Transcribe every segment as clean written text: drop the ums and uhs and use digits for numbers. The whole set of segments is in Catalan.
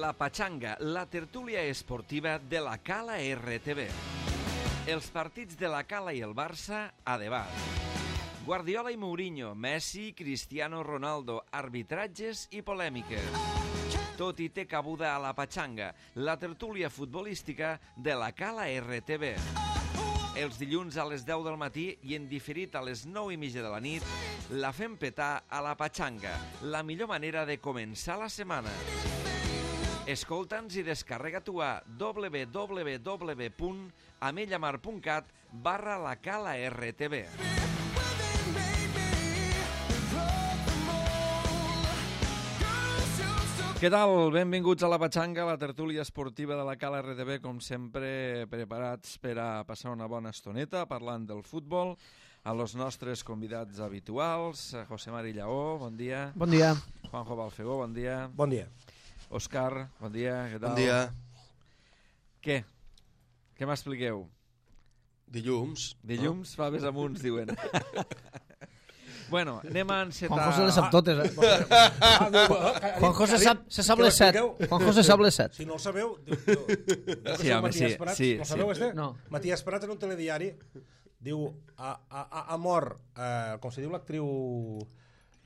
La Pachanga, la tertúlia esportiva de la Cala RTV. Els partits de la Cala i el Barça a debat. Guardiola i Mourinho, Messi, Cristiano Ronaldo, arbitratges i polèmiques. Tot hi té cabuda a La Pachanga, la tertúlia futbolística de la Cala RTV. Els dilluns a les 10 del matí i en diferit a les 9:30 de la nit, la fem petar a La Pachanga, la millor manera de començar la setmana. Escolta'ns i descarrega-t'ho a www.amellamar.cat/lacala-rtv. Què tal? Benvinguts a La Pachanga, la tertúlia esportiva de la Cala RTV, com sempre preparats per a passar una bona estoneta parlant del futbol. A los nostres convidats habituals, José Mari Lleó, bon dia. Bon dia. Juanjo Balfegó, bon dia. Bon dia. Òscar, bon dia, què tal? Bon dia. Què? Què m'expliqueu? Dilluns. Dilluns, faves amunt, diuen. Bueno, anem a encetar... Juanjo se les sap totes, eh? Juanjo se sap les 7. Juanjo se sap les 7. Si no el sabeu... Sí, home, sí. No sabeu, este? No. Matías Prats en un telediari diu ha mort, com se diu l'actriu...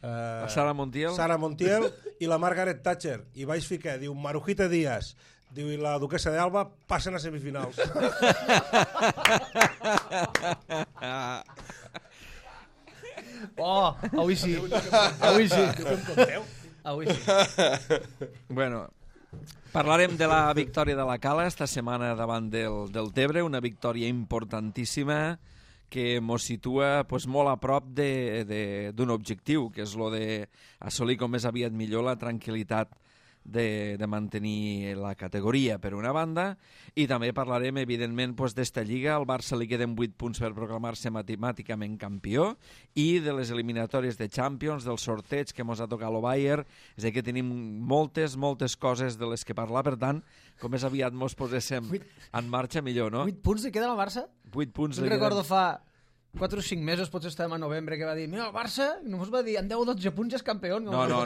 La Sara Montiel. Sara Montiel i la Margaret Thatcher. I vaig ficar, diu, Marujita Díaz. Diu, i la duquesa d'Alba passen a semifinals. Oh, avui sí. Avui sí. Avui sí. Bueno, parlarem de la victòria de la Cala esta setmana davant del Tebre, una victòria importantíssima que ens situa pues, molt a prop d'un objectiu, que és el d'assolir com més aviat millor la tranquil·litat de mantenir la categoria, per una banda, i també parlarem, evidentment, pues, d'esta lliga. Al Barça li queden 8 punts per proclamar-se matemàticament campió, i de les eliminatòries de Champions, del sorteig que ens ha tocat el Bayern. És a dir, que tenim moltes coses de les que parlar, per tant, com més aviat ens poséssim en marxa, millor, no? 8 punts li queden al Barça? 8 punts Jo li queden... recordo fa 4 o 5 mesos, potser estàvem a novembre, que va dir, mira, el Barça, només va dir, en 10 o 12 punts ja és campió. No. No.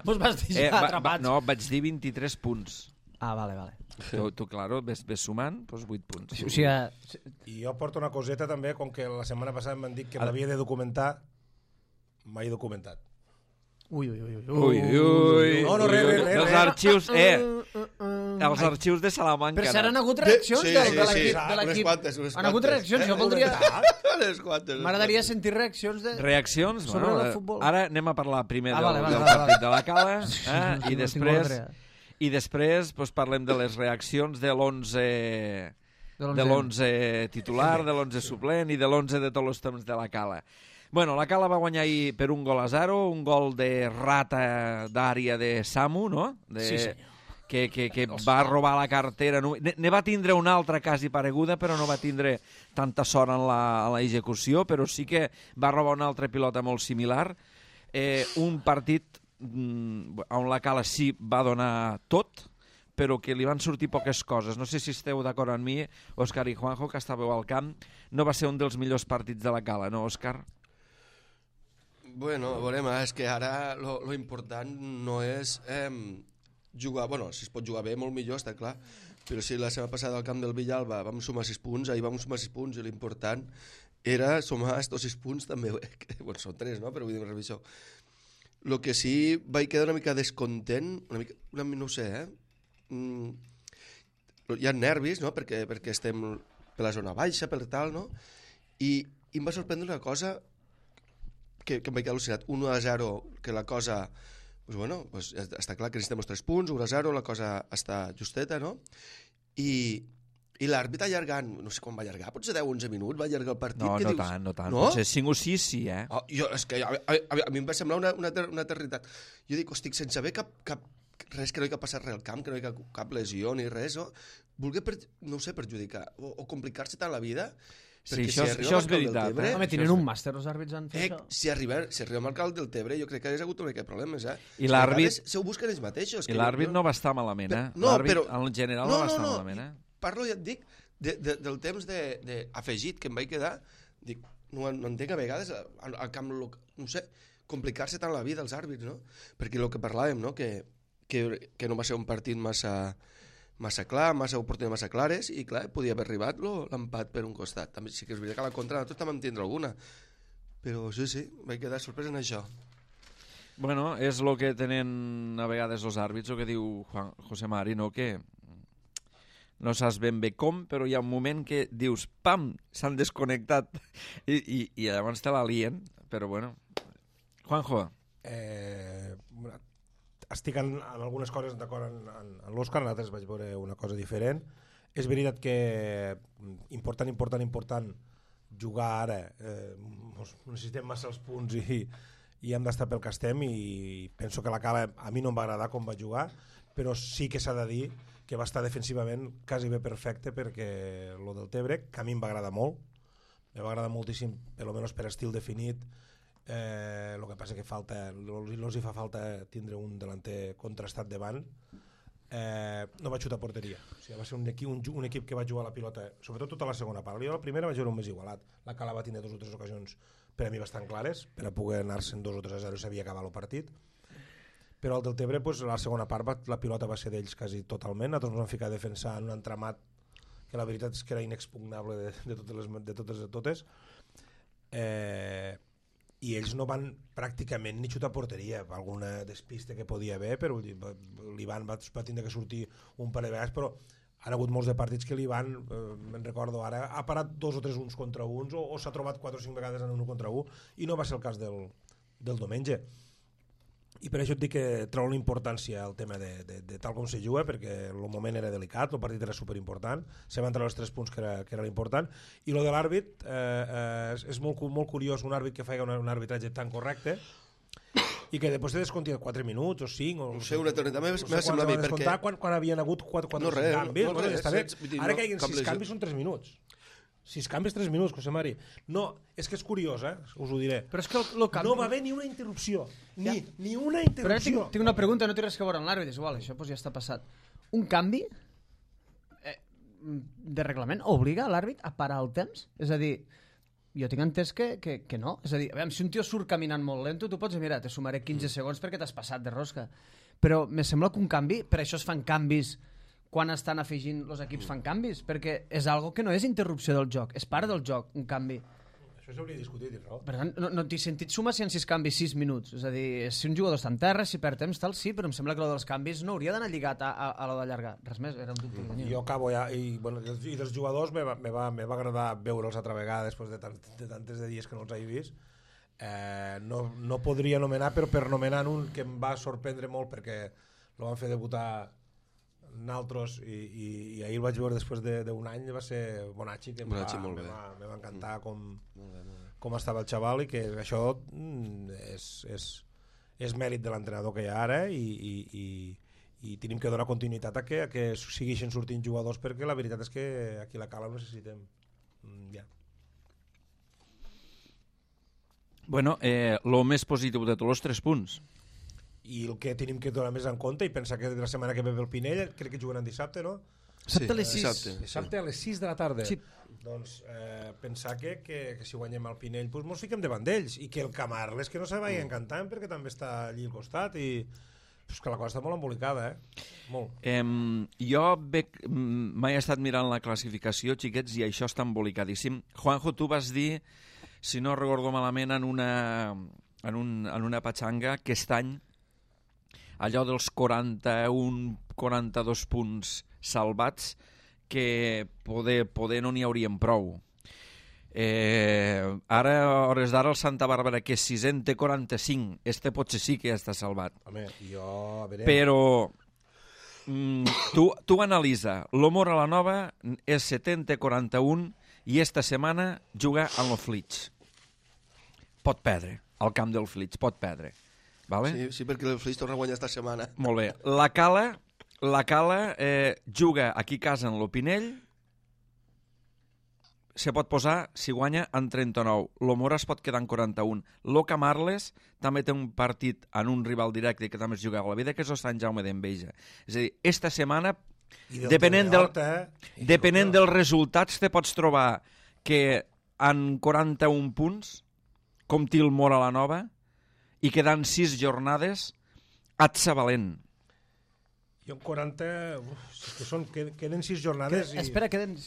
Vos vas deixar atrapats. No, vaig dir 23 punts. Ah, vale. Tu claro, ves sumant, doncs 8 punts. O sigui, I jo porto una coseta també, com que la setmana passada em van dir que m'havia de documentar, m'he documentat. Ui. No, res. Els arxius, els arxius de Salamanca. Per cert, han hagut reaccions de l'equip. Unes Han hagut reaccions, jo voldria... Unes quantes. M'agradaria sentir reaccions de... Reaccions? Sobre el futbol. Ara anem a parlar primer Vale. del partit de la Cala, i després pues, parlem de les reaccions de l'11 titular, de l'11 suplent i de l'11 de tots els temps de la Cala. Bueno, la Cala va guanyar ahir per 1-0, un gol de rata d'àrea de Samu, no? Sí, senyor. Que va robar la cartera. Ne va tindre una altra quasi pareguda, però no va tindre tanta sort en l'execució, però sí que va robar una altra pilota molt similar. Un partit on la Cala sí va donar tot, però que li van sortir poques coses. No sé si esteu d'acord amb mi, Òscar i Juanjo, que estàveu al camp. No va ser un dels millors partits de la Cala, no, Òscar? Bueno, veurem, és que ara lo important no és jugar... Bueno, si es pot jugar bé, molt millor, està clar, però si la setmana passada al camp del Villalba vam sumar 6 punts, ahir vam sumar 6 punts, i l'important era sumar estos 6 punts també, bueno, són 3, no?, però vull dir una revisió. El que sí vaig quedar una mica descontent, no ho sé, hi ha nervis, no?, perquè estem per la zona baixa, per tal, no?, i em va sorprendre una cosa que em vaig quedar al·lucinat, 1-0, que la cosa, pues bueno, pues està clar que necessitem els 3 punts, 1-0, la cosa està justeta, no? I l'àrbit allargant, no sé quan va allargar, potser 10-11 minuts va allargar el partit. No tant, potser 5 o 6 sí, eh? És que a mi em va semblar una eternitat. Jo dic, hosti, sense haver res, que no hi ha passat res al camp, que no hi ha cap lesió ni res, voler, no sé, perjudicar o complicar-se tant la vida. Sí, això és veritat. Home, tenen un màster, els àrbits han fet això. Si arriba al alcalde del Tebre, jo crec que hagués hagut una mica de problemes, I l'àrbit... Se ho busquen ells mateixos. I l'àrbit no va estar malament, eh? No, però... En general no va estar malament, eh? Parlo, ja et dic, del temps afegit que em vaig quedar. Dic, no entenc a vegades al camp, no sé, complicar-se tant la vida als àrbits, no? Perquè el que parlàvem, no?, que que no va ser un partit massa clar, massa oportunitats massa clares, i clar, podia haver arribat l'empat per un costat. També sí que és veritat que a la contra nosaltres també en tindre alguna, però sí, vaig quedar sorprès en això. Bueno, és el que tenen a vegades els àrbits, el que diu José Mari, no? Que no saps ben bé com, però hi ha un moment que dius, pam, s'han desconnectat i llavors te l'alien, però bueno. Juanjo. Estic en algunes coses d'acord en l'Òscar, en altres vaig veure una cosa diferent. És veritat que important jugar ara, necessitem massa els punts i hem d'estar pel que estem, i penso que la Cala a mi no em va agradar com va jugar, però sí que s'ha de dir que va estar defensivament quasi bé perfecte, perquè lo del Tebre, que a mi em va agradar molt, em va agradar moltíssim, almenys per estil definit. El que passa que els hi fa falta tindre un delanter contrastat davant. No va xutar a porteria, o sigui, va ser un equip que va jugar la pilota, sobretot tota la segona part. Jo la primera va jugar un més igualat, la Cala va tindre 2 o 3 ocasions per a mi bastant clares, per a poder anar-se'n 2 o 3 a 0 i s'havia acabat el partit, però el del Tebre, la segona part la pilota va ser d'ells quasi totalment. Nosaltres ens vam ficar a defensar en un entramat que la veritat és que era inexpugnable de totes, i ells no van pràcticament ni xutar a porteria, alguna despiste que podia haver, però l'Ivan va tindre que sortir un parell de vegades, però han hagut molts de partits que l'Ivan, me'n recordo ara, ha parat 2 o 3 uns contra uns, o s'ha trobat 4 o 5 vegades en un contra un, i no va ser el cas del diumenge. I per això et dic que trobo l'importància al tema de tal com se juga, perquè el moment era delicat, el partit era superimportant, se van treure els 3 punts que era l'important, i lo de l'àrbit és molt curiós, un àrbit que fa un arbitratge tan correcte i que després te desconti 4 minuts o 5 no sé, una eternitat m'ha semblat a mi, perquè quan havien hagut 4 canvis, ara que hi hagin 6 canvis són 3 minuts. 6 canvis, 3 minuts, José Mari. No, és que és curiós, us ho diré. Però és que no va haver ni una interrupció. Ni una interrupció. Però tinc una pregunta, no té res que veure amb l'àrbit, és igual, això ja està passat. Un canvi de reglament obliga l'àrbit a parar el temps? És a dir, jo tinc entès que no. És a dir, si un tio surt caminant molt lento, tu pots dir, mira, te sumaré 15 segons perquè t'has passat de rosca. Però me sembla que un canvi, per això es fan canvis quan estan afegint, els equips fan canvis, perquè és algo que no és interrupció del joc, és part del joc, un canvi. Això s'hauria discutit, no? Per tant, no t'he sentit sumar si en 6 canvis 6 minuts. És a dir, si un jugador està en terra, si perd temps, tal, sí, però em sembla que el dels canvis no hauria d'anar lligat a lo d'allargar. Res més, era un dubte que tenia. Jo acabo ja, i dels jugadors me va agradar veure'ls altra vegada després de tantes dies que no els he vist. No podria anomenar, però per anomenar un que em va sorprendre molt perquè el van fer debutar naltros i ahir el vaig veure després d'un any, va ser Bonacci, que me va encantar com estava el xaval, i que això és mèrit de l'entrenador que hi ha ara, i tenim que donar continuïtat a que segueixin sortint jugadors, perquè la veritat és que aquí a la Cala ho necessitem. Bueno, el més positiu de tots els 3 punts. I el que tenim que donar més en compte i pensar que la setmana que ve el Pinell crec que jugaran dissabte, no? Dissabte a les 6. Dissabte a les 6 de la tarda. Sí. Doncs pensar que si guanyem el Pinell doncs mos fiquem davant d'ells, i que el Camarles que no se vagi encantant perquè també està allí al costat, i és que la cosa està molt embolicada, molt. Jo mai he estat mirant la classificació, xiquets, i això està embolicadíssim. Juanjo, tu vas dir, si no recordo malament, en una patxanga que aquest any allò dels 41-42 punts salvats, que poder no n'hi haurien prou. Ara, a hores d'ara, el Santa Bàrbara, que és 6è, té 45. Este potser sí que ja està salvat. Home, a veure... Però tu analitza. L'Homor a la Nova és 7è, té 41, i esta setmana juga en el Flix. Pot perdre. Al camp del Flix, pot perdre. Vale? Sí, perquè el Flix torna a guanyar esta setmana. Molt bé. La Cala juga aquí a casa en l'Opinell, se pot posar, si guanya, en 39. L'Omora es pot quedar en 41. L'Oca Marles també té un partit en un rival directe que també es juga a la vida, que és el Sant Jaume d'Enveja. És a dir, esta setmana, depenent dels resultats, te pots trobar que en 41 punts, com té el Mora la Nova, i quedant 6 jornades, et sa valent. Jo en 40... és que queden 6 jornades i... Espera, queden...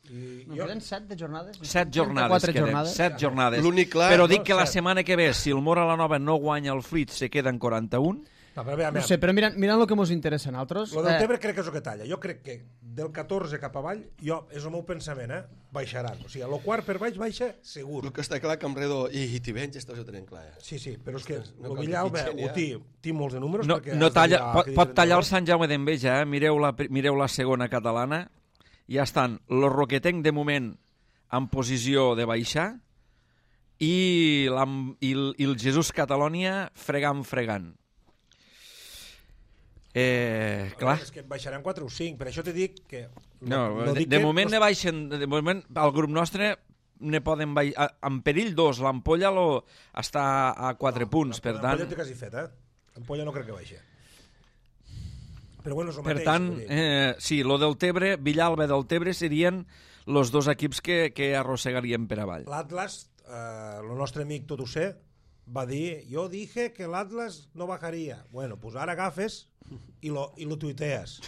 I queden 7 de jornades? 7 jornades queden, 7 jornades. L'únic clar... Però dic que la setmana que ve, si el Mora la Nova no guanya el Fleet, se queden 41. No, però No sé, però mirant el que ens interessa a nosaltres... Lo del Tebre crec que és el que talla. Jo crec que del 14 cap avall, és el meu pensament, baixaran. O sigui, el quart per baix baixa segur. El que està clar que Amredo i Tivenys esto ho tenen clar. Sí, però és que No el cal que Villalba fitxen, té molts de números. No, perquè no has de talla, mirar pot tallar el diferents Sant Jaume d'Enveja, mireu la segona catalana, ja estan los Roquetenc de moment en posició de baixar i el Jesús Catalònia fregant. Clar. És que baixaran 4 o 5, per això t'he dit que... De moment ne baixen, de moment al grup nostre ne poden baixar, en perill 2, l'Ampolla està a 4 punts, per tant... L'Ampolla té quasi fet, L'Ampolla no crec que baixi. Però bueno, és el Per mateix. tant, sí, lo del Tebre, Villalba del Tebre serien els dos equips que arrossegarien per avall. L'Atlas, el nostre amic Tot ho sé, va dir, jo dije que l'Atlas no bajaria. Bueno, pues ara agafes i lo tuitees.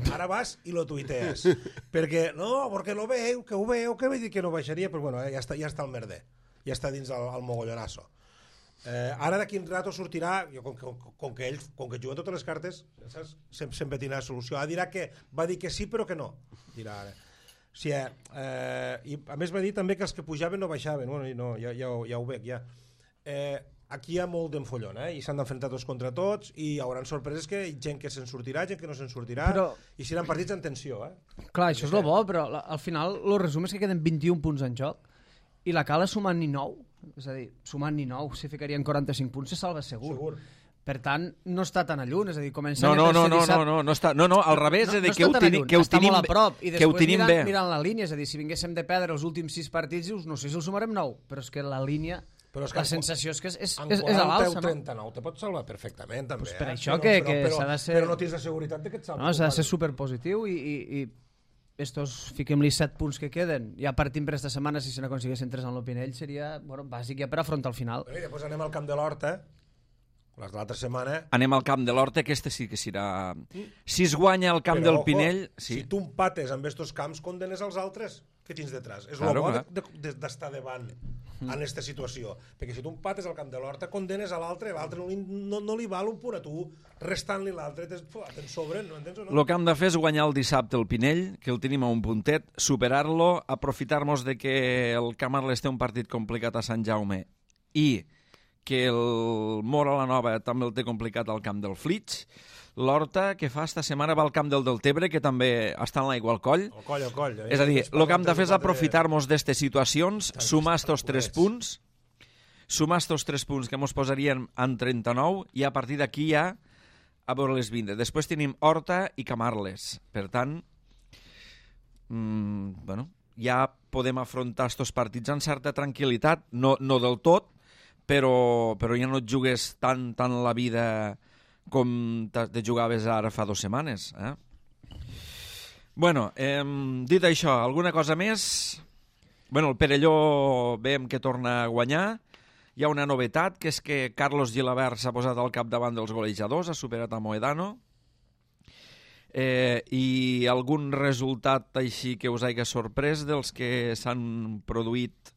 Ara vas i lo tuitees. Perquè, no, perquè lo veu, que vull dir que no baixaria, però bueno, ja està el merder. Ja està dins el mogollonazo. Ara d'aquí un rato sortirà, com que juguen totes les cartes, saps? Sempre tindrà solució. Va dir que sí però que no, dirà ara. Sí, i a més va dir també que els que pujaven no baixaven. Bueno, no, ja ho veig, ja. Aquí hi ha molt d'enfollon, i s'han d'enfrontar tots contra tots, i hi haurà sorpreses que gent que se'n sortirà, gent que no se'n sortirà, i seran partits en tensió. Clar, això és el bo, però al final el resum és que queden 21 punts en joc, i la Cala sumant ni 9, és a dir, sumant ni 9, si ficarien 45 punts se salva segur. Per tant, no està tan a lluny, és a dir, començant no, al revés, és a dir, que ho tenim bé. Mirant la línia, és a dir, si vinguéssim de perdre els últims 6 partits, no sé si el sumarem 9, però és que la línia, la sensació és que és a l'alça, no? En 39 te pots salvar perfectament, també. Per això que s'ha de ser... Però no tens la seguretat que et salves. No, s'ha de ser superpositiu i estos, fiquem-li 7 punts que queden, ja partim per aquesta setmana, si se n'aconseguissin 3 en l'Opinell, seria bàsic ja per afrontar el final. I després anem al camp de l'Horta, l'altra setmana... Anem al camp de l'Horta, aquesta sí que serà... Si es guanya el camp del Pinell... Si tu empates amb estos camps, condenes els altres que tens detrás. És el bo d'estar davant en aquesta situació. Perquè si tu empates al camp de l'Horta, condenes a l'altre, l'altre no li val un punt a tu, restant-li l'altre, te'n sobren, no entens o no? El que hem de fer és guanyar el dissabte el Pinell, que el tenim a un puntet, superar-lo, aprofitar-nos de que el Camarles té un partit complicat a Sant Jaume i que el Mora la Nova també el té complicat al camp del Flix. L'Horta, que fa esta setmana, va al camp del Tebre, que també està en l'aigua al coll. Al coll. És a dir, el que hem de fer és aprofitar-nos d'aquestes situacions, sumar estos 3 punts, que ens posarien en 39, i a partir d'aquí ja a veure les 20. Després tenim Horta i Camarles. Per tant, ja podem afrontar estos partits amb certa tranquil·litat, no del tot, però ja no et jugues tant la vida com te jugaves ara fa 2 setmanes. Bueno, dit això, alguna cosa més? Bueno, el Perelló veiem que torna a guanyar. Hi ha una novetat, que és que Carlos Gilabert s'ha posat al capdavant dels golejadors, ha superat a Moedano. I algun resultat així que us hagi sorprès dels que s'han produït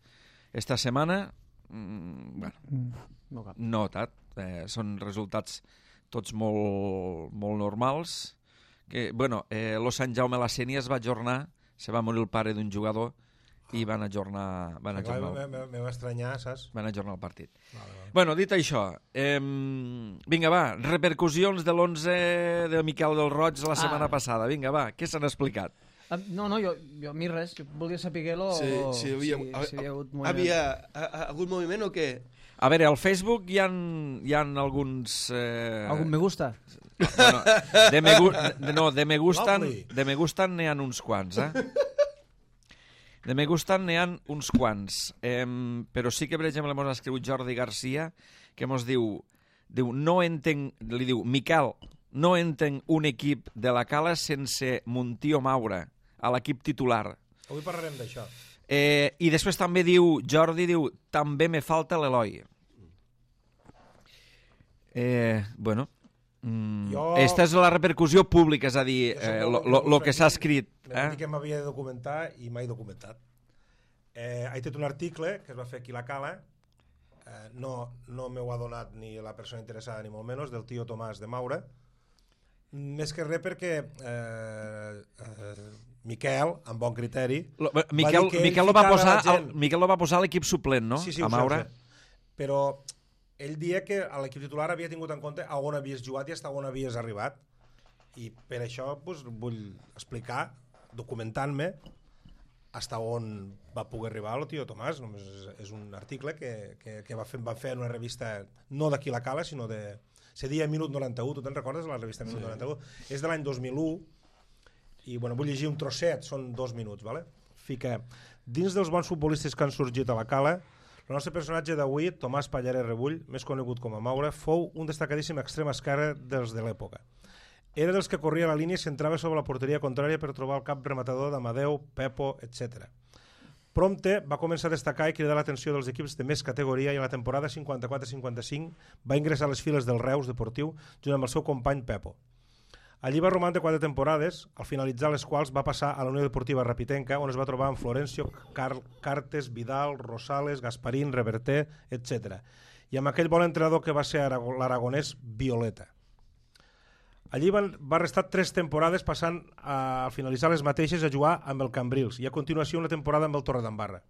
esta setmana? No tant. Són resultats tots molt normals. Lo Sant Jaume la Sénia es va ajornar, se va morir el pare d'un jugador i van ajornar me va estranyar, saps? Van ajornar el partit. Bueno, dit això, vinga, va, repercussions de l'11 de Miquel del Roig la setmana passada. Vinga, va, què s'han explicat? No, jo a mi res, jo volia saber-lo. Si hi havia algun moviment o què? A veure, al Facebook hi ha alguns... Algun me gusta? De me gustan n'hi ha uns quants, De me gustan n'hi ha uns quants. Però sí que, per exemple, m'ha escrit Jordi Garcia, que mos diu, no entenc, li diu, Miquel, no entenc un equip de la Cala sense Montió Maura, a l'equip titular. Avui parlarem d'això. I després també Jordi diu, també me falta l'Eloi. Bueno, Esta és la repercussió pública, és a dir, el que s'ha escrit. Me van dir que m'havia de documentar i m'he documentat. He fet un article que es va fer aquí a la Cala, no m'ho ha donat ni la persona interessada ni molt menys, del tio Tomàs de Maura, més que res perquè Miquel, amb bon criteri, Miquel lo va posar a l'equip suplent, no? Sí, a Maura. Però ell dia que a l'equip titular havia tingut en compte on havies jugat i fins on havies arribat, i per això vull explicar, documentant-me, fins on va poder arribar el tio Tomàs. És un article que va fer en una revista no d'aquí la Cala, sinó de... Se dia Minut 91, tu te'n recordes de la revista Minut 91? És de l'any 2001 i vull llegir un trosset, són 2 minuts, ¿vale? Fica: dins dels bons futbolistes que han sorgit a la Cala, el nostre personatge d'avui, Tomàs Pallaret Rebull, més conegut com a Maura, fou un destacadíssim extrem esquerre dels de l'època. Era dels que corria la línia i s'entrava sobre la porteria contrària per trobar el cap rematador d'Amadeu, Pepo, etc. Prompte va començar a destacar i cridar l'atenció dels equips de més categoria i a la temporada 54-55 va ingressar a les files del Reus Deportiu junt amb el seu company Pepo. Allí va romandre 4 temporades, al finalitzar les quals va passar a la Unió Deportiva Rapitenca, on es va trobar amb Florencio, Cartes, Vidal, Rosales, Gasparín, Reverter, etc. I amb aquell bon entrenador que va ser l'aragonès Violeta. Allí va restar 3 temporades, passant a finalitzar les mateixes a jugar amb el Cambrils i a continuació una temporada amb el Torredembarra.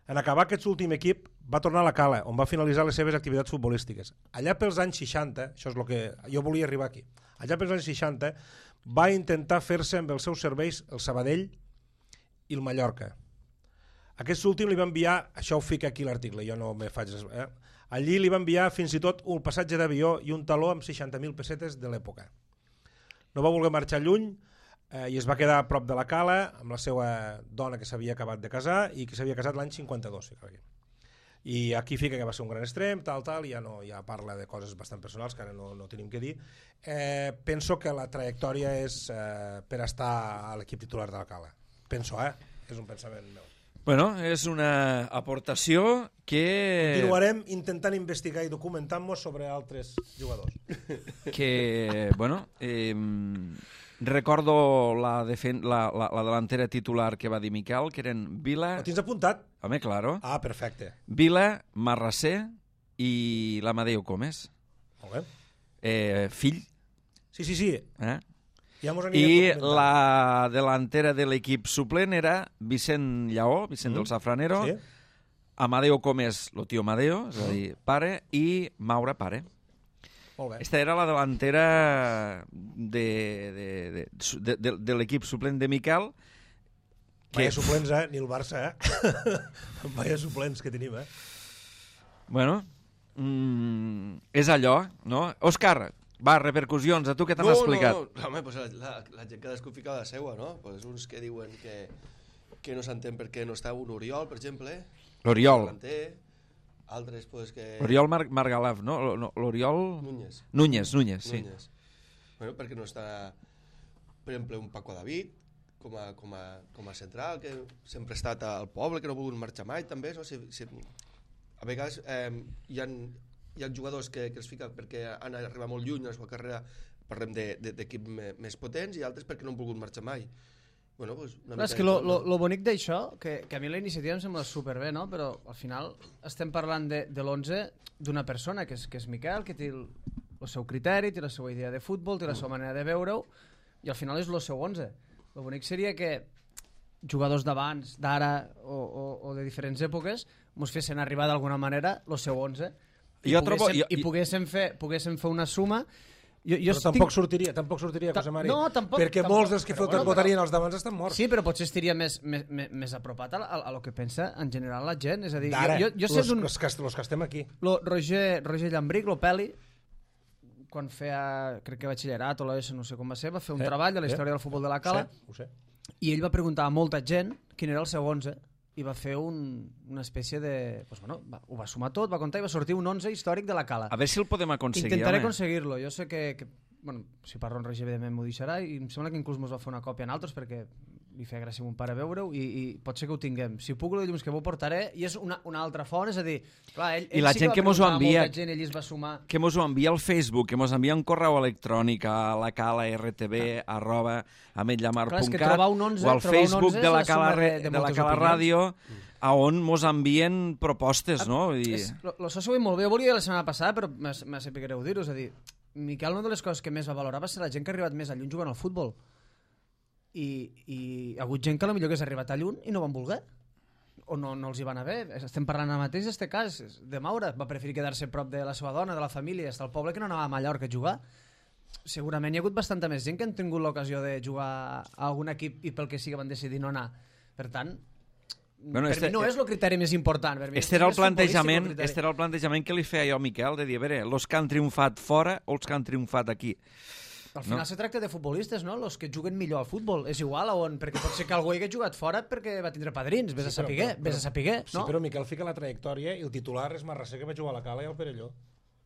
En acabar aquest últim equip va tornar a la Cala, on va finalitzar les seves activitats futbolístiques. Allà pels anys 60, això és el que jo volia arribar aquí, allà pels anys 60 va intentar fer-se amb els seus serveis el Sabadell i el Mallorca. Aquest últim li va enviar, això ho fica aquí l'article, jo no me faig... Allí li va enviar fins i tot un passatge d'avió i un taló amb 60.000 pessetes de l'època. No va voler marxar lluny i es va quedar a prop de la Cala amb la seva dona que s'havia acabat de casar i que s'havia casat l'any 52. I aquí fica que va ser un gran extrem, tal, i ja parla de coses bastant personals que ara no tenim que dir. Penso que la trajectòria és per estar a l'equip titular de la Cala. Penso, és un pensament meu. Bueno, és una aportació que... Continuarem intentant investigar i documentant-nos sobre altres jugadors. Que, bueno, recordo la delantera titular que va dir Miquel, que eren Vila... Ho tens apuntat? Home, claro. Ah, perfecte. Vila, Marrasser i l'Amadeu Comes. Molt bé. Fill. Sí. Ja I la delantera de l'equip suplent era Vicent Lleó, Vicent del Safranero, sí. Amadeu Comes, el tio Amadeu, és a dir, pare, i Maura, pare. Molt bé. Esta era la delantera de l'equip suplent de Miquel. Vaya suplents, ni el Barça, Vaya suplents que tenim, Bueno, és allò, no? Òscar, va, repercussions, a tu què t'han explicat? No, home, pues la gent cadascú fica la seua, no? Pues uns que diuen que no s'entén per què no està un Oriol, per exemple. L'Oriol. Altres, pues, que... L'Oriol Margalaf, no? L'Oriol... Núñez, sí. Bueno, perquè no està, per exemple, un Paco David, com a central, que sempre ha estat al poble, que no ha volgut marxar mai, també, no? A vegades hi ha jugadors que es fiquen perquè han arribat molt lluny a la seva carrera, parlem d'equips més potents, i altres perquè no han volgut marxar mai. Bueno, pues és que lo bonic d'això, que a mi la iniciativa em sembla superbé, no? Però al final estem parlant de l'11 d'una persona que és Miquel, que té el seu criteri, té la seva idea de futbol, té la seva manera de veure-ho, i al final és el seu 11. El bonic seria que jugadors d'abans, d'ara o de diferents èpoques mos fessin arribar d'alguna manera el seu 11 i poguéssim fer una suma. Però tampoc sortiria, José Mari, perquè molts dels que votarien els d'abans estan morts. Sí, però potser estaria més apropat a lo que pensa en general la gent. És a dir, d'ara, els que estem aquí. Roger Llambric, lo Peli, quan feia, crec que batxillerat o l'ESO, no sé com va ser, va fer un treball de la història del futbol de la Cala, ho sé. I ell va preguntar a molta gent quin era el seu 11 i va fer una espècie de... Pues bueno, ho va sumar tot, va comptar i va sortir un 11 històric de la Cala. A veure si el podem aconseguir. Intentaré aconseguir-lo. Jo sé que bueno, si parlo en Roger, evidentment m'ho deixarà, i em sembla que inclús mos va fer una còpia en altres, perquè li feia gràcia a mon pare veure-ho i pot ser que ho tinguem. Si puc, el dilluns que m'ho portaré, i és una altra font, és a dir, clar, ell I la sí gent que mos ho envia, gent, ell es va sumar. que mos ho envia al Facebook, que mos envia un correu electrònic a lacala.rtb@ametlllamar.cat o al Facebook de la Cala Ràdio, a on mos envien propostes, no? Això s'ho veig molt bé. Jo volia la setmana passada, però m'ha sabut greu dir-ho. És a dir, Miquel, una de les coses que més va valorar va ser la gent que ha arribat més a lluny jugant al futbol. I hi ha hagut gent que potser hagués arribat a lluny i no van voler. O no els hi va anar bé. Estem parlant ara mateix d'aquest cas de Maura. Va preferir quedar-se prop de la seva dona, de la família, estar al poble, que no anava a Mallorca a jugar. Segurament hi ha hagut bastanta més gent que han tingut l'ocasió de jugar a algun equip i pel que sigui van decidir no anar. Per tant, per mi no és el criteri més important. Este era el plantejament que li feia jo a Miquel, de dir, a veure, els que han triomfat fora o els que han triomfat aquí. Al final se tracta de futbolistes, no? Els que juguen millor al futbol. És igual a on, perquè pot ser que algú hi hagi jugat fora perquè va tindre padrins, vés a saber, no? Sí, però Miquel fica la trajectòria i el titular és Marrasser, que va jugar a la Cala i al Perelló. O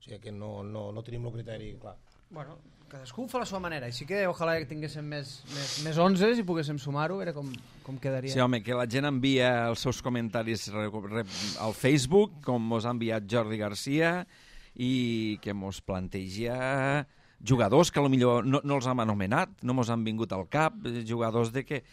sigui que no tenim el criteri clar. Bueno, cadascú ho fa a la seva manera. Així que ojalà que tinguéssim més 11 i poguéssim sumar-ho, a veure com quedaria. Sí, home, que la gent envia els seus comentaris al Facebook, com mos ha enviat Jordi Garcia, i que mos planteja jugadors que potser no els hem anomenat, no mos han vingut al cap, jugadors que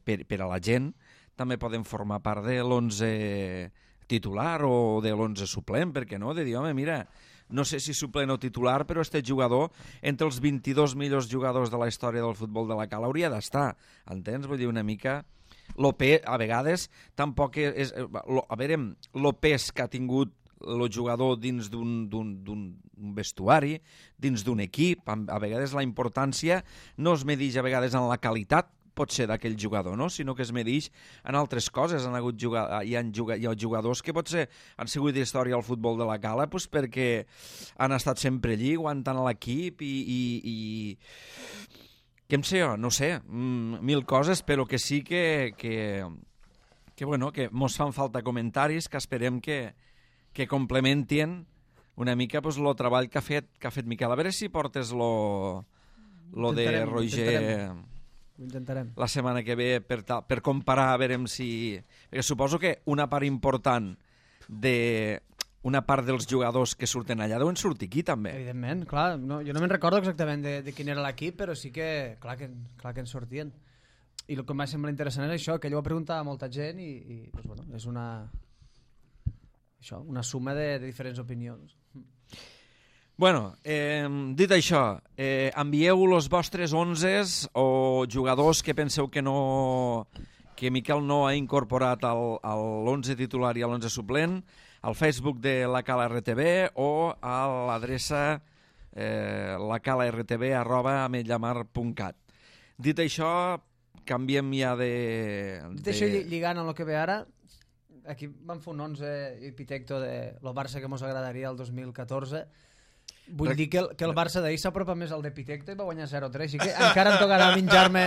per a la gent també poden formar part de l'11 titular o de l'11 suplent, perquè no? De dir, home, mira, no sé si suplent o titular, però este jugador, entre els 22 millors jugadors de la història del futbol de la Cala, hauria d'estar, entens? Vull dir, una mica... a vegades, tampoc és... A veure, el pes que ha tingut el jugador dins d'un vestuari, dins d'un equip, a vegades la importància no es medeix a vegades en la qualitat, pot ser d'aquell jugador, no? Sinó que es medeix en altres coses. Hi ha jugadors que potser han sigut d'història al futbol de la Cala doncs perquè han estat sempre allí, aguantant l'equip i què em sé jo? No sé, mil coses, però que sí que mos fan falta comentaris que esperem que complementin una mica el treball que ha fet Miquel. A veure si portes lo de Roger... Ho intentarem. La setmana que ve per comparar, a veure si... Perquè suposo que una part important una part dels jugadors que surten allà deuen sortir aquí també. Evidentment, clar. No, jo no me'n recordo exactament de quin era l'equip, però sí que clar que en sortien. I el que em va semblar interessant és això, que ell ho va preguntar a molta gent i doncs, bueno, és una suma de diferents opinions. Bueno, dit això, envieu els vostres 11 o jugadors que penseu que Miquel no ha incorporat a l'11 titular i a l'11 suplent al Facebook de la Cala RTV o a l'adreça lacala.rtb@ametlllamar.cat. Dit això, canviem ja de... Dit això, lligant amb el que ve ara, aquí vam fer un 11 epitecto de lo Barça que ens agradaria el 2014. Vull dir que el Barça d'ahir s'apropa més al d'Epitecto i va guanyar 0-3, així que encara em tocarà menjar-me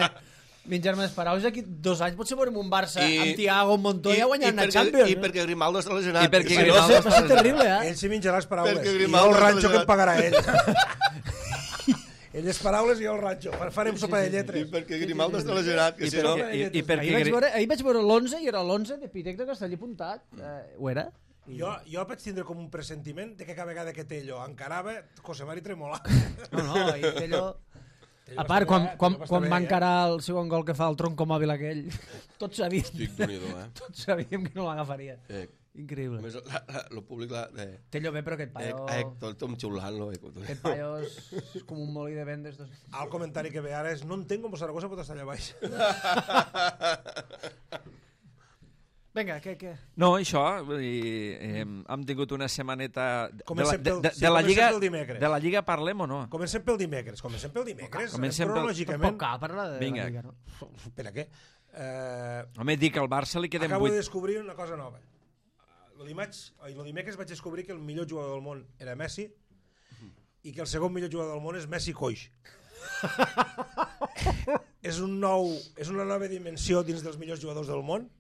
les paraules. Aquí 2 anys potser veurem un Barça amb Thiago, Montoya guanyant la Champions. I perquè Grimaldo està lesionat. I perquè Grimaldo va ser terrible, Ell s'hi menjarà les paraules. I jo el ranxo que em pagarà ell. Ell les paraules i jo el ranxo. Farem sopa de lletres. I perquè Grimaldo està lesionat. Ahir vaig veure l'11 i era l'11 d'Epitecto que està allà apuntat. Ho era? Jo vaig tindre com un pressentiment de que cada vegada que Tello encarava, Josemari tremolava. No, ahir Tello... A part, quan va encarar el segon gol que fa el troncomòbil aquell, tots sabíem que no l'agafaria. Increïble. A més, el públic... Tello bé, però aquest paio... Tot xiulant-lo. Aquest paio és com un molí de vendes. El comentari que ve ara és no entenc com Saragossa pot estar allà baix. Vinga, què? No, això, hem tingut una setmaneta... De la Lliga parlem o no? Comencem pel dimecres. Tampoc cal parlar de la Lliga, no? Per a què? Home, dic que al Barça li queden 8... Acabo de descobrir una cosa nova. El dimecres vaig descobrir que el millor jugador del món era Messi i que el segon millor jugador del món és Messi coix. És una nova dimensió dins dels millors jugadors del món,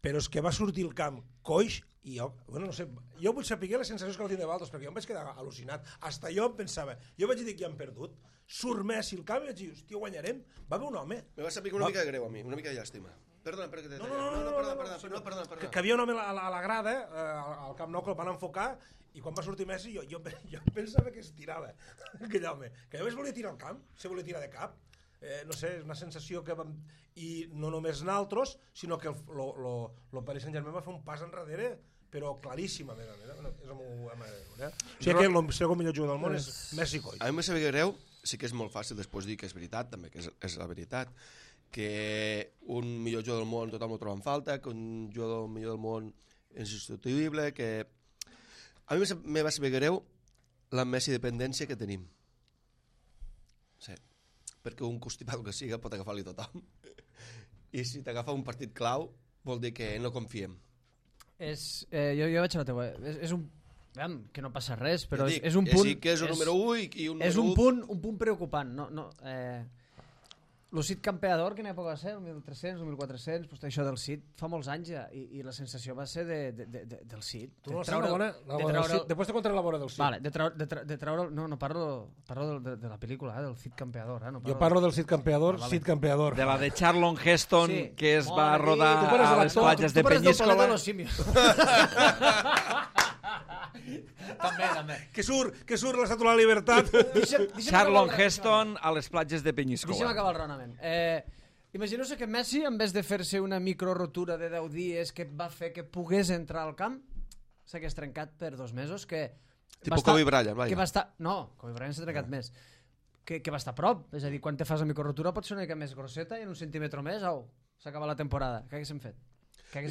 però és que va sortir al camp coix I jo, bueno, no sé, jo vull saber les sensacions que el tindre Valdos, perquè jo em vaig quedar al·lucinat. Hasta jo em pensava, jo vaig dir que ja hem perdut, surt Messi el camp i vaig dir, hòstia, guanyarem. Va haver un home... Me va saber una mica de greu a mi, una mica de llàstima. Perdona, perquè t'he tallat. Perdona. Que havia un home a la grada, al Camp Nou, que el van enfocar, i quan va sortir Messi jo pensava que es tirava, aquell home. Que jo es volia tirar al camp, se volia tirar de cap. No sé, és una sensació que vam... I no només naltros, sinó que el Paris Saint-Germain va fer un pas enrere, però claríssim, a més. És amb o sigui que el segon millor jugador del món és Messi Coll. A mi me sabia greu, sí que és molt fàcil després dir que és veritat, també, que és la veritat, que un millor jugador del món tothom ho troba en falta, que un jugador millor del món és insubstituïble, que... A mi me va saber greu la Messi dependència que tenim. Sí. Perquè un constipat que siga pot agafar-li tothom. I si t'agafa un partit clau vol dir que no confiem. Jo vaig a la teua. És un... que no passa res, però dic, és un punt... Sí que és un número 1 i un és número 1... un punt preocupant. El Cid campeador, quina època va ser? El 1300, el 1400, pues, això del Cid fa molts anys ja, i la sensació va ser del Cid. Tu no saps la bona del Cid? Després te contaré la bona del Cid. Vale, de treure... No parlo de la pel·lícula, del Cid campeador. No jo parlo del Cid campeador, Cid campeador. De la de Charlton Heston, sí, que es va rodar a les platges de Penyíscola. Tu parles del Planeta de los Simios. També. Que surt l'Estàtua de la Libertat. Charlton Heston a les platges de Penyíscola. Deixa'm acabar el raonament. Imagineu-se que Messi, en vez de fer-se una microrotura de 10 dies que va fer que pogués entrar al camp, s'hagués trencat per 2 mesos, que... Tipo Kobe Bryant, vaja. Que va estar... No, Kobe Bryant s'ha trencat més. Que va estar a prop. És a dir, quan te fas la microrotura pot ser una mica més grosseta i en un centímetre més, s'acaba la temporada. Què haguéssim fet?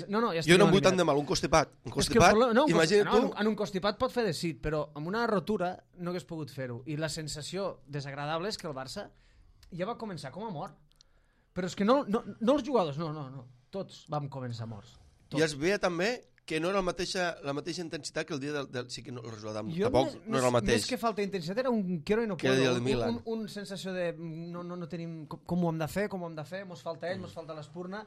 No, ja jo no em vull tant de mal, un constipat. Imagina't tu... En un constipat pot fer de Cid, però amb una rotura no hagués pogut fer-ho. I la sensació desagradable és que el Barça ja va començar com a mort. Però és que no els jugadors, no. Tots vam començar morts. Tots. I es veia també que no era la mateixa intensitat que el dia del... Sí que el resultat tampoc no era el mateix. Més que falta d'intensitat era un quiero i no puedo. Un sensació de no tenim com ho hem de fer, mos falta ell, mos falta l'espurna.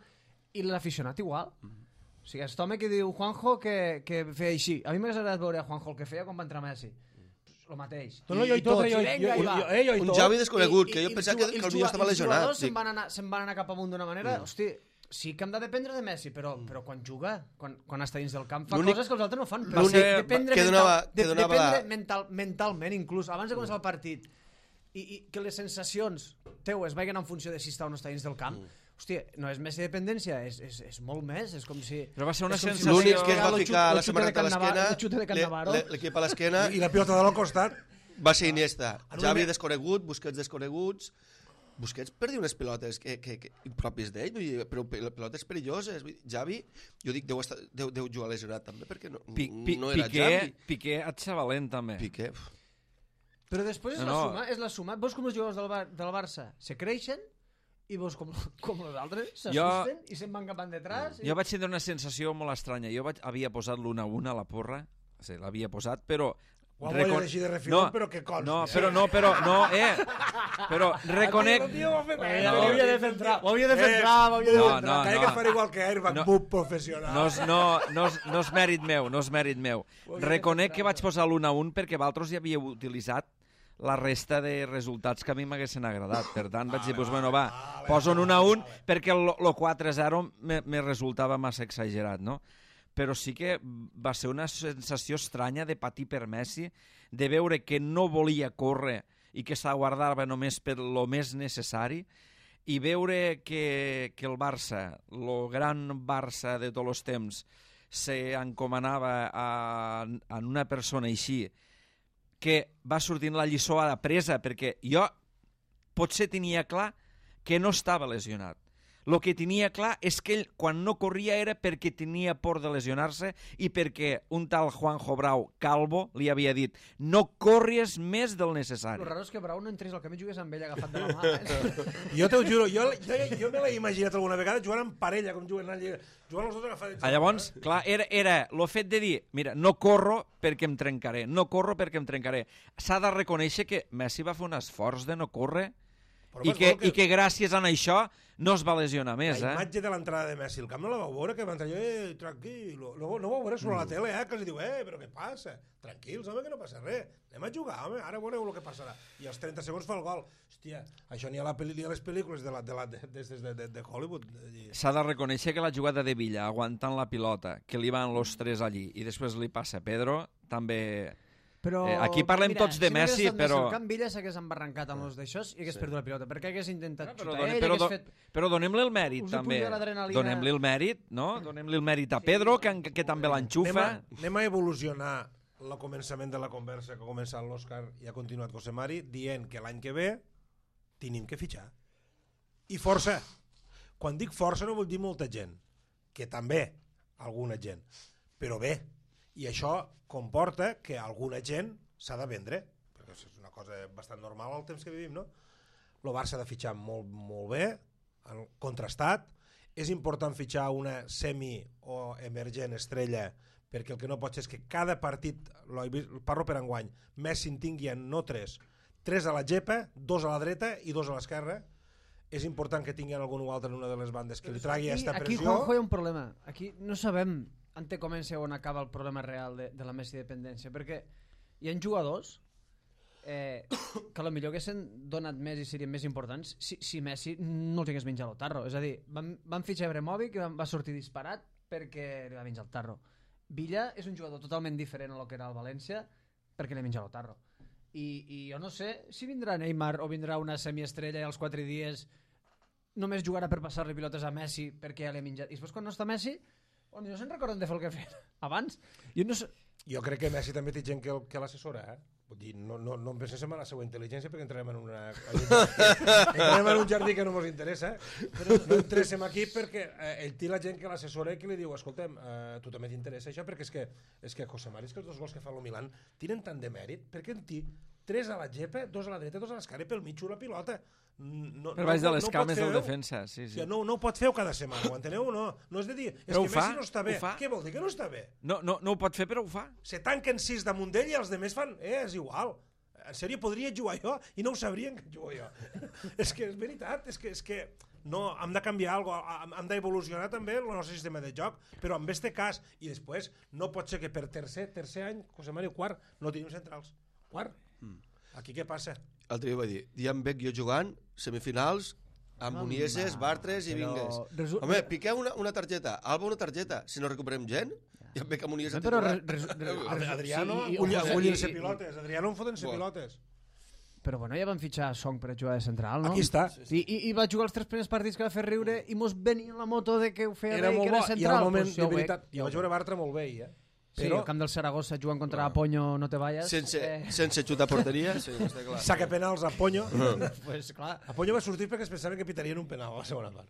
I l'aficionat igual. O sigui, aquest home que diu Juanjo que feia així. A mi m'hagués agradat veure a Juanjo el que feia quan va entrar Messi. El mateix. Un Javi desconegut, que jo pensava que el millor estava lesionat. Els jugadors se'n van anar cap amunt d'una manera... Hosti, sí que hem de dependre de Messi, però quan juga, quan està dins del camp, fa coses que els altres no fan. Dependre mentalment, inclús, abans de començar el partit, i que les sensacions teues vagin en funció de si està o no està dins del camp. Hòstia, no és més dependència, és molt més, és com si... Però va ser una sensació... L'únic que es va ficar la samarreta a l'esquena, l'equip a l'esquena... I la pilota de l'al costat... Va ser Iniesta. Xavi desconegut, Busquets desconeguts... Busquets perdia unes pilotes pròpies d'ell, però pilotes perilloses. Javi, jo dic, deu jugar lesionat també, perquè no era Javi. Piqué atxavalent també. Piqué... Però després és la suma. Veus com els jugadors del Barça se creixen i veus com els altres s'assusten i se'n van cap endetras. Jo vaig tenir una sensació molt estranya. Jo havia posat l'1-1 a la porra, sí, l'havia posat, però... Ho voy a deixar de refilón, però que consti. Però reconec... Ho havia de centrar. Que es farà igual que Airbag, bub professional. No és mèrit meu, Reconec que vaig posar l'1-1 perquè vosaltres ja havíeu utilitzat la resta de resultats que a mi m'haguessin agradat. Per tant, vaig dir, poso un 1-1 perquè el 4-0 me resultava massa exagerat, no? Però sí que va ser una sensació estranya de patir per Messi, de veure que no volia córrer i que s'aguardava només per lo més necessari, i veure que el Barça, el gran Barça de tots els temps, s'encomanava a una persona així, que va sortint la lliçó a la presa, perquè jo potser tenia clar que no estava lesionat. El que tenia clar és que ell, quan no corria, era perquè tenia por de lesionar-se i perquè un tal Juanjo Brau, calvo, li havia dit no corries més del necessari. El raro és que Brau no entrés al camí i jugués amb ell agafat de la mà. Jo t'ho juro, jo me l'he imaginat alguna vegada jugant en parella, com juguen allà. Jugant els dos agafats. Llavors, clar, era el fet de dir, mira, no corro perquè em trencaré, S'ha de reconèixer que Messi va fer un esforç de no córrer I que gràcies a això no es va lesionar més, La imatge de l'entrada de Messi al camp no la vau veure, que va entrar allò, tranquil. No vau veure sobre la tele, que els diu, però què passa? Tranquils, home, que no passa res. Anem a jugar, home, ara veureu el que passarà. I als 30 segons fa el gol. Hòstia, això n'hi ha a les pel·lícules de Hollywood. S'ha de reconèixer que la jugada de Villa, aguantant la pilota, que li van los tres allí, i després li passa a Pedro, també... Però, aquí parlem tots de Messi, però... Si Can Villa s'hagués embarrancat amb els d'això i hagués perdut la pilota, perquè hagués intentat xutar ell, però, hagués fet... Però donem-li el mèrit, també. Donem-li el mèrit, no? Donem-li el mèrit a Pedro, que també l'enxufa. Anem a evolucionar el començament de la conversa que ha començat l'Òscar i ha continuat José Mari, dient que l'any que ve tenim que fitxar. I força. Quan dic força no vol dir molta gent, que també alguna gent, però bé. I això comporta que alguna gent s'ha de vendre, perquè és una cosa bastant normal al temps que vivim, no? El Barça ha de fitxar molt, molt bé, contrastat. És important fitxar una semi o emergent estrella, perquè el que no pot ser és que cada partit, parlo per enguany, Messi en tingui no 3 a la gepa, 2 a la dreta i 2 a l'esquerra. És important que tinguin algun altre en una de les bandes que li tragui aquesta pressió. Aquí, Juanjo, hi ha un problema. Aquí no sabem on comença o on acaba el problema real de la Messi dependència, perquè hi ha jugadors que potser haguessin donat més i serien més importants si Messi no els hagués menjat el tarro. És a dir, van fitxar Ibrahimovic i va sortir disparat perquè li va menjar el tarro. Villa és un jugador totalment diferent a lo que era el València perquè li ha menjat el tarro. I jo no sé si vindrà Neymar o vindrà una semiestrella i als 4 dies només jugarà per passar-li pilotes a Messi perquè ja li ha menjat. I després quan no està Messi, no se'n recorden de fer el que feien abans. Jo crec que Messi també té gent que l'assessora, Vull dir, no em pensem en la seva intel·ligència perquè entrarem en un jardí que no ens interessa, però no interessem aquí perquè ell té la gent que l'assessora i que li diu, escoltem, tu també t'interessa això, perquè és que José Mari, és que els 2 gols que fa el Milan tenen tant de mèrit, perquè en té 3 a la gepa, 2 a la dreta, 2 a l'esquerra i pel mig la pilota. Per baix de les cames del defensa, sí. No ho pot fer cada setmana, ho enteneu? No és de dir, és que Messi no està bé. Què vol dir que no està bé? No ho pot fer, però ho fa. Se tanquen 6 damunt d'ell i els demés fan, és igual. En sèrio, podria jugar jo i no ho sabrien que jugo jo. És que és veritat, és que no, hem de canviar alguna cosa, hem d'evolucionar també el nostre sistema de joc, però en este cas, i després no pot ser que per tercer any, José Mario, quart, no tenim centrals. Quart? Aquí què passa? L'altre dia va dir, Dian Beck jo jugant, semifinals, amb Unieses, Bartres i Vingues. Home, piqueu una targeta, Alba una targeta, si no recuperem gent, Dian Beck amb Unieses titular. Adriano, ullint-se pilotes, Adriano en foten-se pilotes. Però bueno, ja van fitxar Song per a jugar de central, no? Aquí està. I va jugar els 3 primers partits que va fer riure i mos venia la moto de que ho feia bé i que era central. I al moment, de veritat, jo vaig veure Bartra molt bé, Sí, el camp del Saragossa jugant contra Apoño no te vayas. Sense xutar porteria, sí, està clar. Saca penals a Apoño. Pues clar. Apoño va sortir perquè es pensaven que pitarien un penal a la segona part.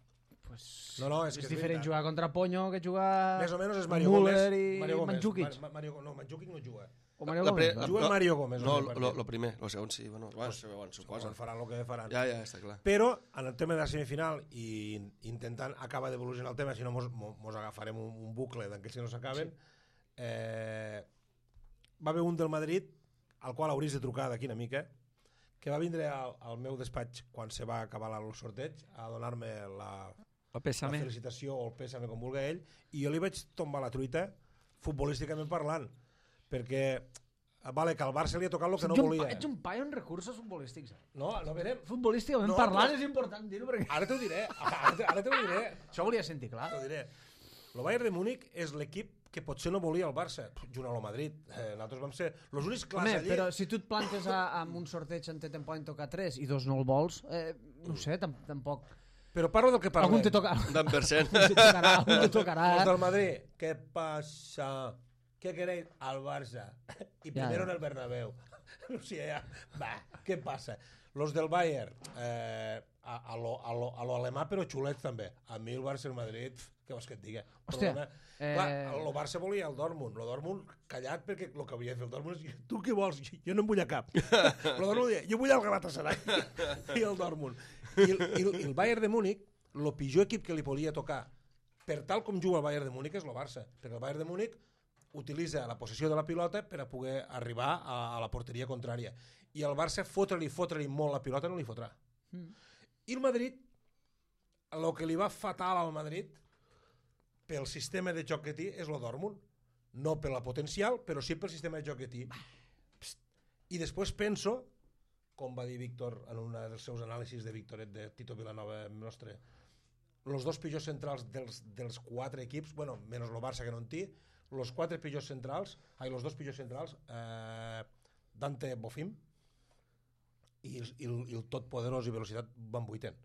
És que és diferent jugar contra Apoño que jugar... Més o menys és Mario Gómez. Müller i Mandzukic. No, Mandzukic no juga. O Mario Gómez. Juga Mario Gómez. No, el primer, el segon sí. Bueno, suposa. Faran el que faran. Ja, està clar. Però, en el tema de la semifinal, i intentant acabar d'evolucionar el tema, si no mos agafarem un bucle d'aquells que no s'acaben, va haver un del Madrid, al qual hauries de trucar d'aquí una mica, que va vindre al meu despatx quan se va acabar el sorteig a donar-me la felicitació o el pèsame com vulgui ell, i jo li vaig tombar la truita futbolísticament parlant, perquè vale, que al Barça li ha tocat el que no volia. Ets un paio en recursos futbolístics. No verem. Futbolísticament parlant és important dir-ho perquè... Ara t'ho diré, ara t'ho diré. Això volia sentir clar. T'ho diré. El Bayern de Múnich és l'equip que potser no volia el Barça, junt a lo Madrid. Nosaltres vam ser els únics clars allí. Però si tu et plantes amb un sorteig on te'n poden tocar 3 i 2 no el vols, no sé, tampoc... Però parlo del que parlem. Algun te tocarà. Algun te tocarà. Els del Madrid, què passa? ¿Qué queréis? Al Barça. Y primero en el Bernabéu. O sea, ¿qué pasa? Los del Bayern, a lo alemà, però xulets també. A mi el Barça i el Madrid, què vols que et digui? Hòstia. Clar, el Barça volia el Dortmund. El Dortmund callat perquè el que havia de fer el Dortmund és tu què vols? Jo no en vull a cap. El Dortmund deia, jo vull el Galatasaray i el Dortmund. I el Bayern de Múnich, el pitjor equip que li podia tocar per tal com juga el Bayern de Múnich és el Barça. Perquè el Bayern de Múnich utilitza la possessió de la pilota per a poder arribar a la porteria contrària. I el Barça fotre-li molt la pilota no li fotrà. I el Madrid, el que li va fatal al Madrid, pel sistema de joc que té, és el Dortmund. No per la potencial, però sí pel sistema de joc que té. I després penso, com va dir Víctor en un dels seus anàlisis de Víctoret de Tito Vilanova nostre, els dos pitjors centrals dels 4 equips, bueno, menys el Barça que no en té, els 4 pitjors centrals, els 2 pitjors centrals, Dante Bofim i el totpoderós i velocitat Van Buiten.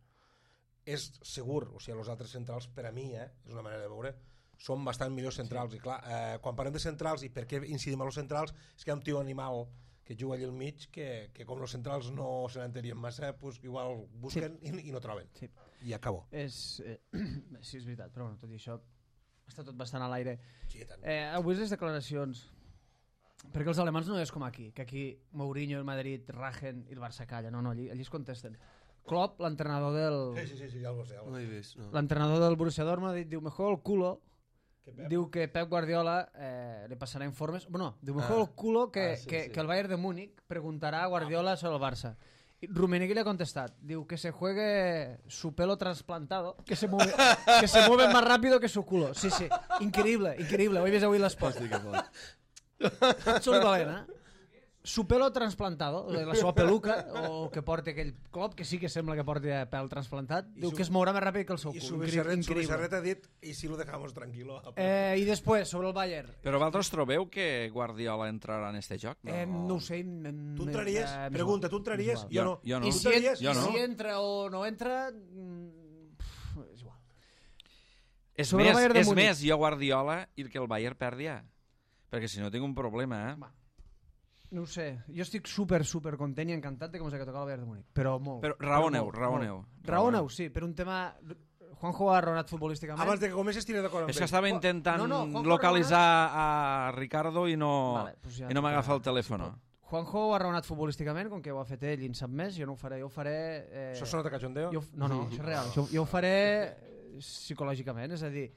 És segur, o sigui, els altres centrals, per a mi, és una manera de veure, són bastant millors centrals. I clar, quan parlem de centrals, i per què incidim a els centrals, és que hi ha un tio animal que juga allà al mig, que com els centrals no se n'entenien massa, pues, igual busquen i no troben. Sí. I acabo. Sí, és veritat, però bueno, tot i això està tot bastant a l'aire. Sí, avui les declaracions, perquè els alemans no és com aquí, que aquí Mourinho, el Madrid, rajen i el Barça calla. No, allí es contesten. Klopp, l'entrenador del... Sí, ja ho sé. No he vist, no. L'entrenador del Borussia Dortmund diu mejor el culo. Diu que Pep Guardiola le passarà informes. Bueno, diu mejor el culo que el Bayern de Múnich preguntarà a Guardiola sobre el Barça. Y Rummenigge le ha contestat. Diu que se juegue su pelo trasplantado, que se mueve más rápido que su culo. Sí, increïble. Ho he vist avui a l'esport. Absolutament, Su pelo trasplantado, la seva peluca, o el que porta aquell Klopp, que sí que sembla que porti pèl trasplantat, diu que es mourà més ràpid que el seu cul. I su Bizarret ha dit, i si lo dejamos tranquilo. I després, sobre el Bayern. Però vosaltres trobeu que Guardiola entrarà en este joc? No ho sé. Tu entraries? Pregunta, tu entraries? Jo no. I si entra o no entra... És igual. És més, jo Guardiola i que el Bayern perdi ja. Perquè si no tinc un problema, No ho sé, jo estic super content i encantat de com s'ha tocat el Bayern de Múnich, però molt. Però raoneu. Raoneu, sí, per un tema... Juanjo ha raonat futbolísticament. Abans de que comences estiré d'acord amb ell. És que estava intentant localitzar a Ricardo i no m'agafa el telèfon. Juanjo ha raonat futbolísticament, com que ho ha fet ell i en sap més, jo no ho faré. Això sona de cachondeo? No, això és real. Jo ho faré psicològicament, és a dir,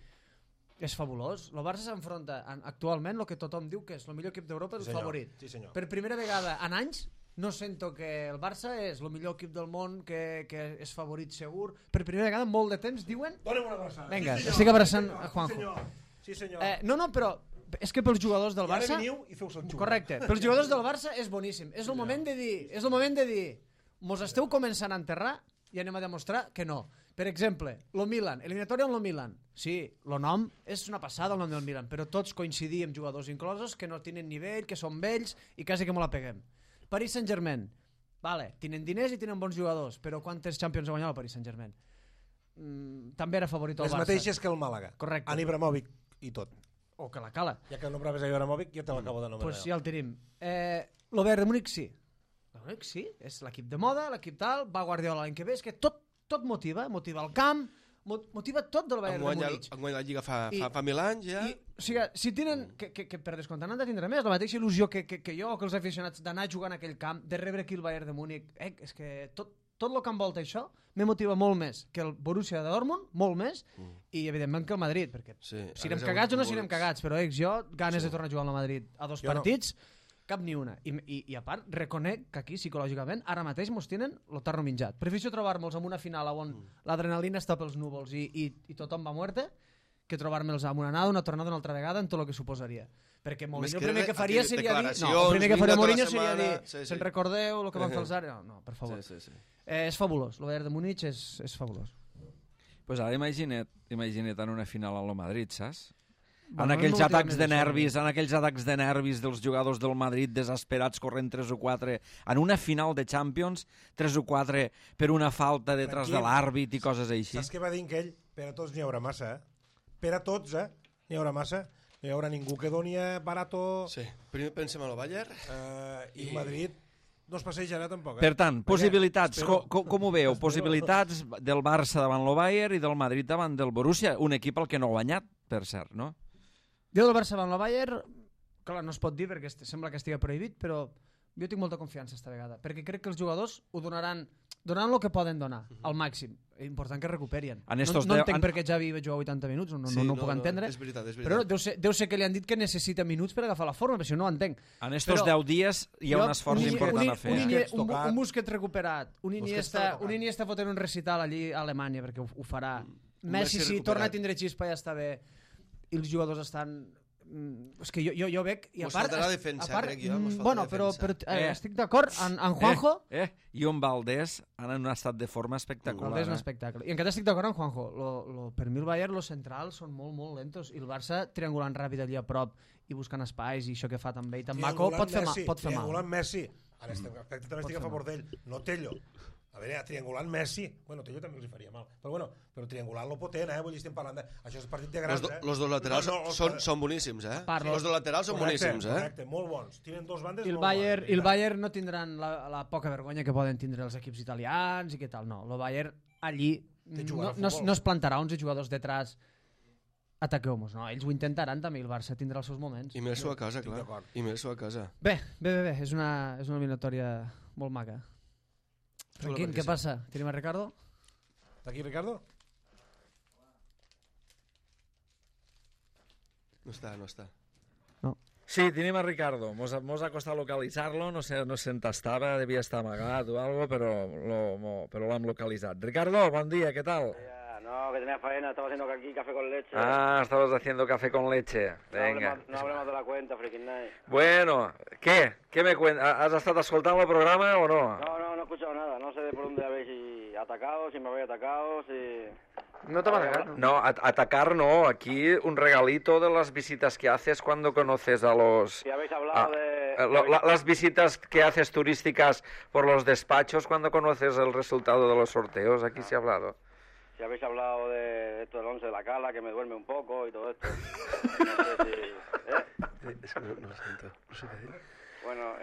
és fabulós. El Barça s'enfronta actualment el que tothom diu que és el millor equip d'Europa, el favorit. Sí, senyor. Per primera vegada en anys no sento que el Barça és el millor equip del món, que és favorit segur. Per primera vegada en molt de temps diuen... Donem una abraçada. Vinga, estic abraçant a Juanjo. Sí, senyor. No, però és que pels jugadors del Barça... I ara veniu i feu el xum. Correcte. Pels jugadors del Barça és boníssim. És el moment de dir, mos esteu començant a enterrar i anem a demostrar que no. Per exemple, el Milan, eliminatòria amb el Milan. Sí, el nom és una passada, el nom del Milan, però tots coincidim, jugadors inclosos, que no tenen nivell, que són vells i quasi que me la peguem. Paris Saint-Germain, tenen diners i tenen bons jugadors, però quantes Champions ha guanyat el Paris Saint-Germain? També era favorit el Barça. Les mateixes que el Màlaga. Correcte. En Ibrahimovic i tot. O que la Cala. Ja que nombraves a Ibrahimovic, ja te l'acabo de nomenar. Pues ja el tenim. El Bayern de Múnich sí. El Múnich sí, és l'equip de moda, l'equip tal, va Guardiola l'any que ve, és que tot motiva el camp, motiva tot del Bayern de Múnich. Han guanyat la Lliga fa 1000 anys, ja. O sigui, si tenen, que per descomptat han de tindre més, la mateixa il·lusió que jo o que els aficionats d'anar a jugar en aquell camp, de rebre aquí el Bayern de Múnich, és que tot el que envolta això me motiva molt més que el Borussia de Dortmund, molt més, i evidentment que el Madrid, perquè si anem cagats o no si anem cagats, però jo ganes de tornar a jugar al Madrid a 2 partits, cap ni una. I a part, reconec que aquí, psicològicament, ara mateix mos tenen el tarro menjat. Prefereixo trobar-me'ls en una final on l'adrenalina està pels núvols i tothom va muerte, que trobar-me'ls amb una anada, una tornada una altra vegada en tot el que suposaria. Perquè Mourinho el primer que faria seria dir... No, el primer que faria Mourinho seria dir se'n recordeu el que van fer els Ara? No, per favor. És fabulós. El Bayern de Múnich és fabulós. Pues ara imagina't en una final a lo Madrid, saps? En aquells atacs de nervis dels jugadors del Madrid desesperats corrent 3 o 4 en una final de Champions, 3 o 4 per una falta detrás de l'àrbit i coses així. Saps què va dir ell? Per a tots n'hi haurà massa, Per a tots, n'hi haurà massa. No hi haurà ningú que doni barato. Sí, primer pensem a lo Bayern. I Madrid no es passejarà tampoc. Per tant, possibilitats, com ho veu? Possibilitats del Barça davant el Bayern i del Madrid davant del Borussia, un equip al que no ha guanyat, per cert, no? Jo del Barça davant el Bayern, clar, no es pot dir perquè sembla que estigui prohibit, però jo tinc molta confiança esta vegada, perquè crec que els jugadors ho donaran... donant el que poden donar, al màxim. Important que recuperien. En No estos entenc 10 per què Xavi va jugar 80 minuts, no ho puc entendre. És veritat. Però deu ser que li han dit que necessita minuts per agafar la forma, però si no ho entenc. En estos 10 dies hi ha un esforç important a fer. Un Busquets recuperat, un Iniesta fotent un recital allí a Alemanya, perquè ho farà. Messi, si torna a tindre xispa, ja està bé. I els jugadors estan... És que jo veig... Mos faltarà defensa, crec jo. Bueno, però estic d'acord. En Juanjo... I en Valdés han en un estat de forma espectacular. Valdés és un espectacle. I encara estic d'acord amb Juanjo. Per mi el Bayern, los centrals són molt, molt lentos. I el Barça, triangulant ràpid allà a prop i buscant espais, i això que fa també i tan maco, pot fer mal. Triangulant Messi. En aquest aspecte també estic a favor d'ell. No Tello. A veure, triangulant Messi. Bueno, Tello també els faria mal. Però triangulant lo potent, Vull dir, estem parlant de... Això és partit de grans, Los dos laterals són boníssims, Los dos laterals són boníssims, Correcte, molt bons. Tienen dos bandes molt bones. I el Bayern no tindran la poca vergonya que poden tindre els equips italians i què tal, no. El Bayern allí no es plantarà 11 jugadors detrás ataqueu-nos, no. Ells ho intentaran també, el Barça tindrà els seus moments. I més-ho a casa, clar. I més-ho a casa. Bé. És una eliminatòria molt maca. Franquín, què passa? Tenim a Ricardo? Està aquí, Ricardo? No està. No. Sí, tenim a Ricardo. Mos ha costat localitzar-lo, no sé on estava, devia estar amagat o algo, però l'hem localitzat. Ricardo, bon dia, què tal? No, que tenía faena, estaba haciendo aquí café con leche. Ah, estabas haciendo café con leche. Venga. No hablemos de la cuenta, Freaking Night. Bueno, ¿qué? ¿Qué me cuentas? ¿Has estado escoltando el programa o no? No he escuchado nada. No sé de por dónde habéis atacado, si me habéis atacado, si... No te va No, atacar no. Aquí un regalito de las visitas que haces cuando conoces a los... Si habéis hablado de... Las visitas que haces turísticas por los despachos cuando conoces el resultado de los sorteos. Aquí se ha hablado. Si habéis hablado de esto del 11 de la Cala, que me duerme un poco y todo esto. No sé si... Es que no lo siento. No sé qué decir. Bueno,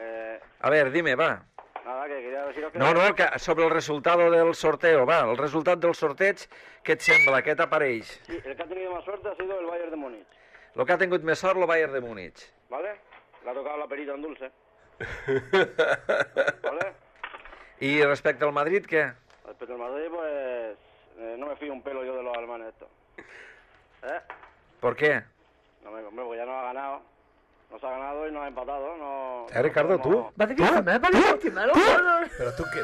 A ver, dime, va. Nada, que quería deciros que... No, que sobre el resultado del sorteo, va. El resultat del sorteig, què et sembla? Què t'apareix? Sí, el que ha tenido más suerte ha sido el Bayern de Múnich. Lo que ha tingut més sort, el Bayern de Múnich. ¿Vale? Le ha tocado la perita en dulce. ¿Vale? I respecte al Madrid, què? Respecto al Madrid, pues... no me fío un pelo yo de los alemanes estos. ¿Por qué? No, hombre, porque ya nos ha ganado. Nos ha ganado y nos ha empatado. No, Ricardo, no ¿tú? Pero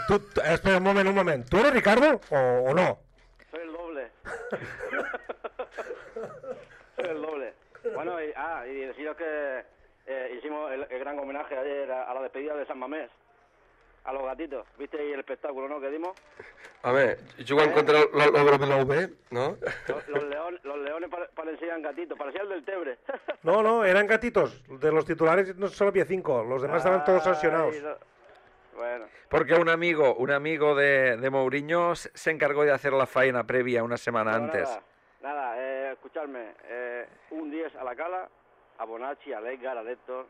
tú, espera un momento. ¿Tú eres Ricardo o no? Soy el doble. Soy el doble. Bueno, y deciros que hicimos el gran homenaje ayer a la despedida de San Mamés. A los gatitos. ¿Viste ahí el espectáculo, no, que dimos? A ver, jugant contra l'obra de la UB, ¿no? Los leones parecían gatitos, parecía el del Tebre. No, eran gatitos. De los titulares no solo había 5, los demás estaban todos sancionados. Bueno. Porque un amigo de Mourinho se encargó de hacer la faena previa una semana antes. Nada, escuchadme. Un 10 a la Cala, a Bonacci, a Edgar, a Héctor,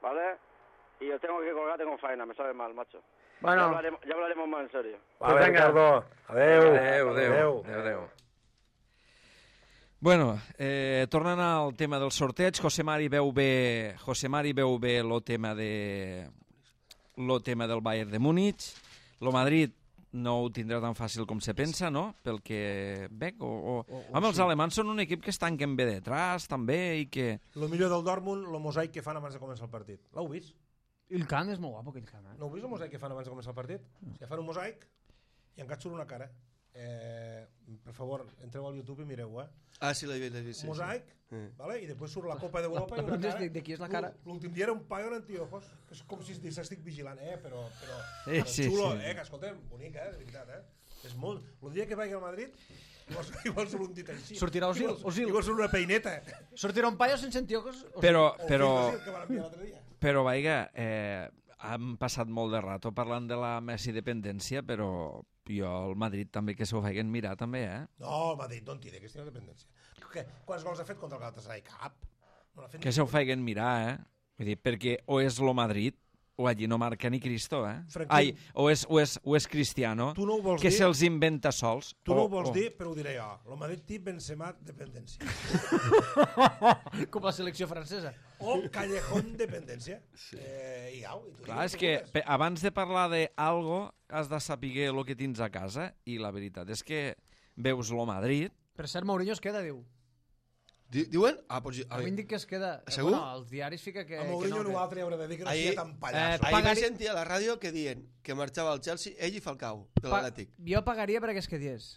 ¿vale? Y os tengo que colgar, tengo faena, me sabe mal, macho. Bueno. Ya hablaremos más en serio. Vale, Ricardo. Adeu. Bueno, tornant al tema del sorteig, José Mari veu bé el tema del Bayern de Múnich. Lo Madrid no ho tindrà tan fàcil com se pensa, no? Pel que veig. Home, els alemans són un equip que es tanquen bé detrás, també, i que... Lo millor del Dortmund, lo mosaic que fan abans de començar el partit. L'heu vist? El camp és molt guapo, aquell camp. No heu vist el mosaic que fan abans de començar el partit? Ja fan un mosaic i encara surt una cara. Per favor, entreu al YouTube i mireu, Ah, sí, l'he vist. Mosaic, vale? I després surt la Copa d'Europa i una cara. De qui és la cara? L'últim dia era un paio en antiojos, que és com si estic vigilant, però Sí, xulo, sí. que escolta'm, bonic, de veritat, És molt... El dia que vagi al Madrid, igual surt un dit així. Sortirà Osil. Igual surt una peineta. Sortirà un paio sense antiojos. Però, que van enviar l'altre dia. veiga, hem passat molt de rato parlant de la Messi dependència, però jo al Madrid també que s'ho feien mirar també, No, el Madrid no en té aquesta dependència. Quants gols ha fet contra el Galatasaray? Cap. No que s'ho feien mirar, Vull dir, perquè o és lo Madrid O allí no marca ni Cristo, eh? Franquín. O és Cristiano, Tu no ho vols que dir? se'ls inventa sols. Tu no ho vols dir, però ho diré jo. Lo Madrid té Benzema dependència. Com la selecció francesa. O Callejón dependència. I au. I tu Clar, digues és el que vulgues. abans de parlar d'algo has de saber el que tens a casa i la veritat és que veus lo Madrid. Per cert, Mourinho es queda, diu. Diuen? Ah, pues... A mi em dic que es queda... Segur? Bueno, els diaris fica que... A Mourinho que no, nosaltres haurà de dir que no Ahir- sigui tan pallasso. Ahir vaig Pagari- sentir a la ràdio que diuen que marxava al Chelsea ell i Falcao, de l'Atlètic. Jo pagaria perquè es quedies.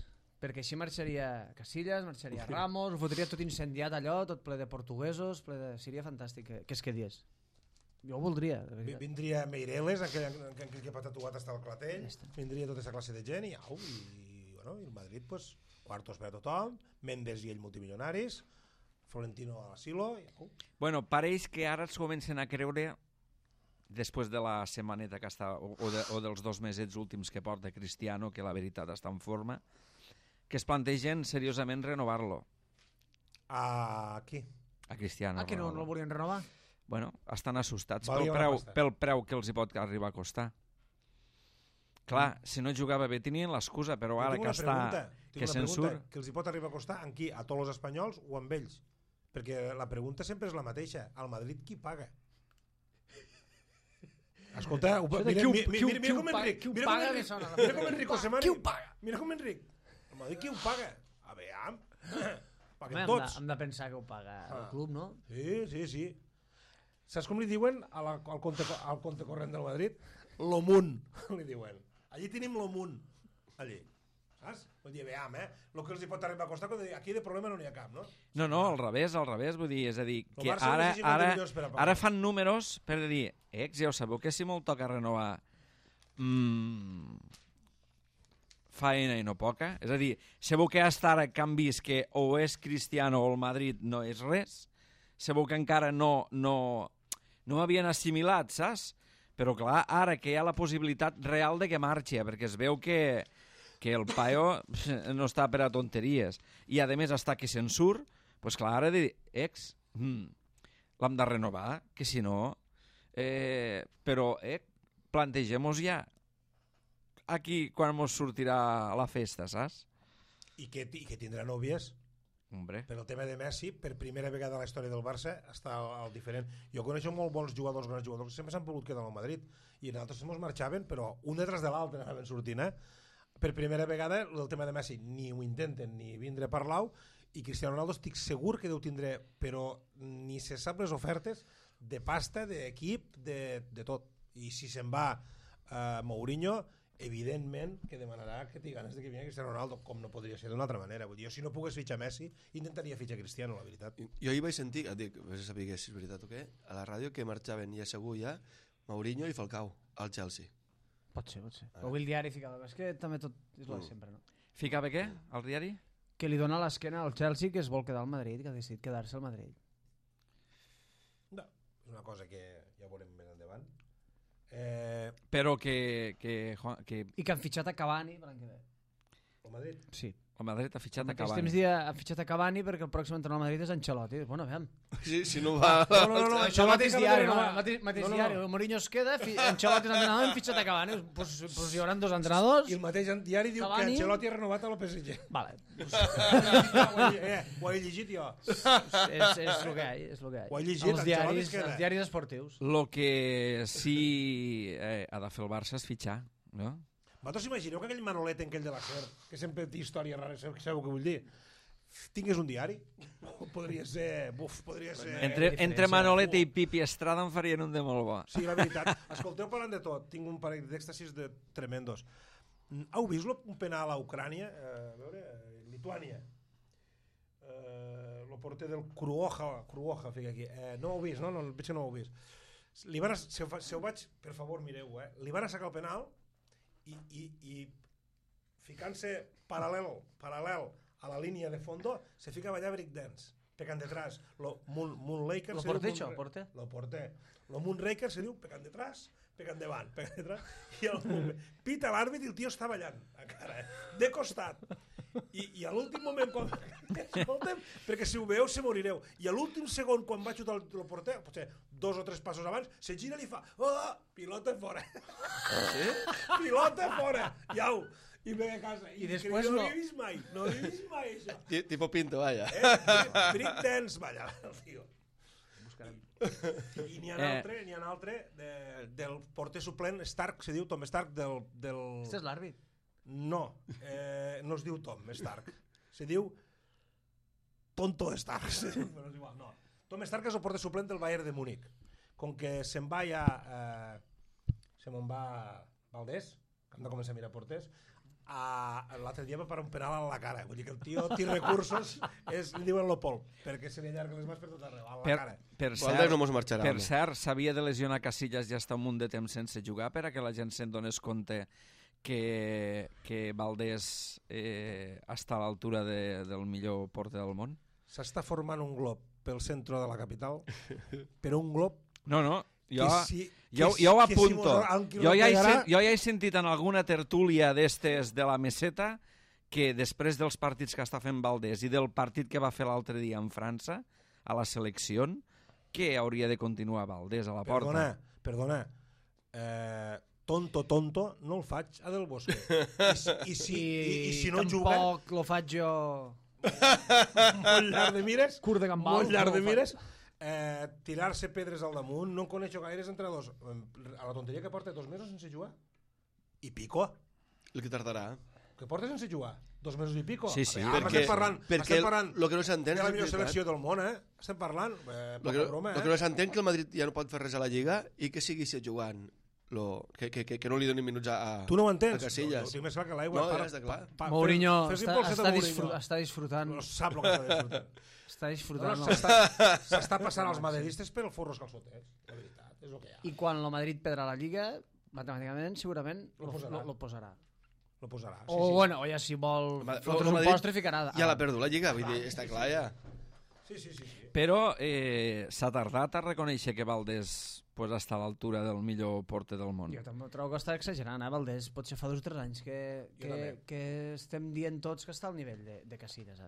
Perquè així marxaria Casillas, marxaria Ramos, ho fotria tot incendiat allò, tot ple de portuguesos, seria fantàstic que es quedies. Jo ho voldria, de veritat. Vindria Meireles, aquell que ha tatuat hasta el clatell, vindria tota aquesta classe de gent i au, i bueno, i el Madrid, pues, quartos per a tothom, Mendes i ell multimilionaris, Florentino a l'asilo, i au. Bueno, pareix que ara es comencen a creure, després de la setmaneta que està, o dels 2 mesets últims que porta Cristiano, que la veritat està en forma, que es plantegen seriosament renovar-lo, Aquí. a Cristiano. Que no Ronaldo. el volien renovar? Bueno, estan assustats Valia una pasta. pel preu que els hi pot arribar a costar. Clar, si no jugava bé tenien l'excusa, però ara Tinc que una pregunta, està... tinc Que una se'n pregunta, surt... que els hi pot arribar a costar amb qui? A tots els espanyols o amb ells? Perquè la pregunta sempre és la mateixa. Al Madrid qui paga? Escolta, mira com Enric. Qui ho Mira paga com me Enric. sona. Mira com Enric Osemani. Qui ho paga? Mira com Enric. Al Madrid qui ho paga? A veure, paguem Home, tots. hem de pensar que ho paga el club, no? Sí. Saps com li diuen al compte corrent del Madrid? L'Omunt, li diuen. Allí tenim l'Omunt. Allí. Saps? Vull dir, veam, el que els hi pot arribar a costar, aquí de problema no n'hi ha cap, no? No, al revés, vull dir, és a dir, El que Barça necessita 50 milions per a pagar. ara fan números per dir, ja ho sabeu que si me'l toca renovar faena i no poca, és a dir, sabeu que hasta ara canvis que o és Cristiano o el Madrid no és res, sabeu que encara no havien assimilat, saps? Però clar, ara que hi ha la possibilitat real de que marxi, perquè es veu que el paio no està per a tonteries. I a més està que se'n surt, doncs clar, ara de dir, l'hem de renovar, que si no... Però plantegem-nos ja aquí quan mos sortirà la festa, saps? I que tindrà nòvies. Hombre. Per el tema de Messi, per primera vegada a la història del Barça està al diferent. Jo coneixo molt bons jugadors, grans jugadors, que sempre s'han pogut quedar al Madrid i en altres ens marxaven, però un detrás de l'altre anaven sortint, Per primera vegada el tema de Messi ni ho intenten ni vindre a parlar-ho, i Cristiano Ronaldo estic segur que deu tindre, però ni se sap les ofertes de pasta, d'equip, de tot. I si se'n va Mourinho, evidentment que demanarà que tingui ganes de que vingui Cristiano Ronaldo, com no podria ser d'una altra manera. Vull dir, jo si no pogués fitxar Messi, intentaria fitxar Cristiano, la veritat. Jo ahir vaig sentir, dic, vaig saber si és veritat o què, a la ràdio que marxaven ja segur ja Mourinho i Falcao al Chelsea. Pot ser. O el diari ficava, és que també tot és la de sempre, no? Ficava què, al diari? Que li dona l'esquena al Chelsea, que es vol quedar al Madrid, que ha decidit quedar-se al Madrid. No, és una cosa que ja veurem més endavant. Però que I que han fitxat a Cavani per l'any que ve. El Madrid. Sí. el Madrid ha fitxat a En aquells Cavani. temps han fitxat a Cavani perquè el pròxim entrenador al Madrid és Ancelotti. Bueno, aviam. Sí, si no va... No, Això mateix diari, no? no. Mateix No. diari. Mourinho es queda, Ancelotti és entrenador, hem fitxat a Cavani. Pues hi haurà dos entrenadors. I el mateix diari diu Cavani. que Ancelotti ha renovat a la PSG. Vale. Ho he llegit jo. És el que hi ha, és el que hi ha. Ho he llegit, Ancelotti es queda. Els diaris esportius. Lo que sí ha de fer el Barça és fitxar, no? Vosaltres imagineu que aquell Manolet aquell de la SER, que sempre té històries rares, sabeu què vull dir? Tingués un diari? Podria ser... podria ser... Entre Manolete i Pipi Estrada en farien un de molt bo. Sí, la veritat. Escolteu, parlant de tot, tinc un parell d'èxtasis tremendos. Heu vist un penal a Ucrània? A veure, Lituània. El porter del Kruoja, fica aquí. No ho heu vist, no? Potser no ho heu vist. Si ho vaig, per favor, mireu, li van sacar el penal i ficant-se paral·lel a la línia de fondo, se fica a ballar breakdance, pecant detrás. Moonraker... Lo porter, això, porter? Lo porter. Lo Moonraker se diu pecant detrás, pecant davant, pecant detrás, i pita l'àrbit i el tio està ballant, encara, de costat. I a l'últim moment, escolta'm, perquè si ho veieu se morireu, i a l'últim segon, quan va xutar el porter, potser 2 o 3 passos abans, se gira i li fa oh, pilota fora. Sí? Pilota fora. Iau. I ve a casa. I després no no. l'he vist mai. No l'he vist mai, això. Tipo Pinto, vaya. Brick dance, vaya, el tio. I n'hi ha un altre del porter suplent Stark, se diu Tom Stark del... Este és l'àrbit. No, no es diu Tom Stark. Se diu Tonto Stark. Però és igual, no. Tom Stark és el porter suplent del Bayern de Múnich. Com que se'n va ja... se me'n va Valdés, que hem de començar a mirar porters, l'altre dia va parar un penal a la cara. Vull dir que el tio té recursos, li diuen l'Opol, perquè se li allarguen les mans per tot arreu, a la cara. Valdés no mos marxarà. Per cert, s'havia de lesionar Casillas ja està un munt de temps sense jugar per a que la gent se'n donés compte que Valdés està a l'altura del millor porter del món? S'està formant un glob pel centre de la capital, però un glob... No, jo ho ho apunto. Jo ja he sentit en alguna tertúlia d'estes de la meseta que després dels partits que està fent Valdés i del partit que va fer l'altre dia en França, a la selecció, que hauria de continuar Valdés a la porta. Perdona. Tonto, no el faig a Del Bosque. I si no juga... Tampoc lo faig jo... Molt llarg de mires. Curt de gambal. Molt llarg de mires. Tirar-se pedres al damunt. No en coneixo gaires entrenadors. A la tonteria que porta 2 mesos sense jugar. I pico. El que tardarà. Que porta sense jugar. 2 mesos i pico. Sí. Perquè el que no s'entén de la millor selecció del món, Estem parlant. El que no s'entén que el Madrid ja no pot fer res a la Lliga i que sigui jugant. Que no li donin minuts a tu no ho entens? A Casillas. No, ho tinc més clar que l'aigua. No, ja està clar. Mourinho està disfrutant. No sap el que està disfrutant. Està disfrutant. S'està passant els madridistes per el forros calçotets. La veritat, és el que hi ha. I quan el Madrid perdrà la Lliga, matemàticament, segurament lo posarà. Lo posarà. O bueno, ja si vol fotre's un postre ficarà. Ja l'ha perdut la Lliga, vull dir, està clar ja. Sí. Però s'ha tardat a reconèixer que Valdés està a l'altura del millor porter del món. Jo també trobo que està exagerant, Valdés. Potser fa 2 o 3 anys que estem dient tots que està al nivell de Casillas,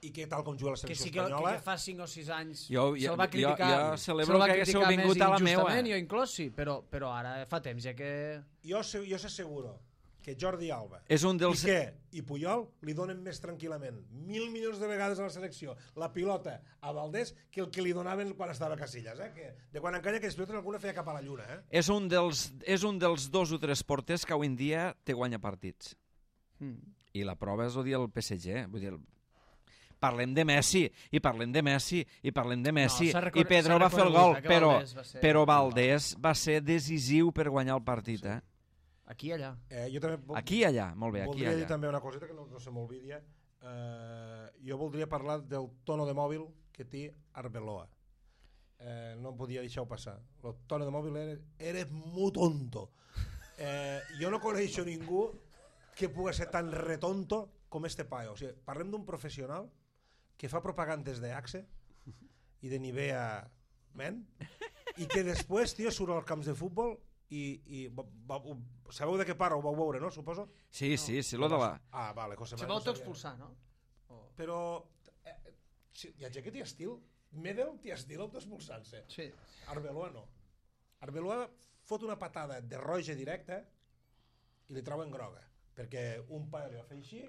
I que tal com juga la selecció espanyola... Que fa 5 o 6 anys se'l va criticar. Jo celebro que haguéssiu vingut a la meua. Jo inclòs sí, però ara fa temps ja que... Jo s'asseguro que Jordi Alba i i Puyol li donen més tranquil·lament 1.000 milions de vegades a la selecció la pilota a Valdés que el que li donaven quan estava a Casillas, que de quan encara que les pilotes alguna feia cap a la lluna. És un dels 2 o 3 porters que avui en dia te guanya partits. I la prova és el PSG. Vull dir, parlem de Messi, i Pedro va fer el gol, però Valdés va ser decisiu per guanyar el partit, Aquí i allà. Aquí i allà, molt bé, aquí i allà. Voldria dir també una coseta que no se m'olvidi. Jo voldria parlar del tono de mòbil que té Arbeloa. No em podia deixar-ho passar. El tono de mòbil era molt tonto. Jo no coneixo ningú que pugui ser tan retonto com este paio. O sigui, parlem d'un professional que fa propagandes d'Axe i de Nivea Men i que després, tio, surt als camps de futbol i sabeu de què parla? Ho vau veure, no? Suposo? Sí, lo de la... Vale, se va autoexpulsar, no? Però hi ha gent que té estil. Medel té estil autoexpulsant-se. Sí. Arbeloa no. Arbeloa fot una patada de roja directa i li treuen groga. Perquè un pare li va fer així,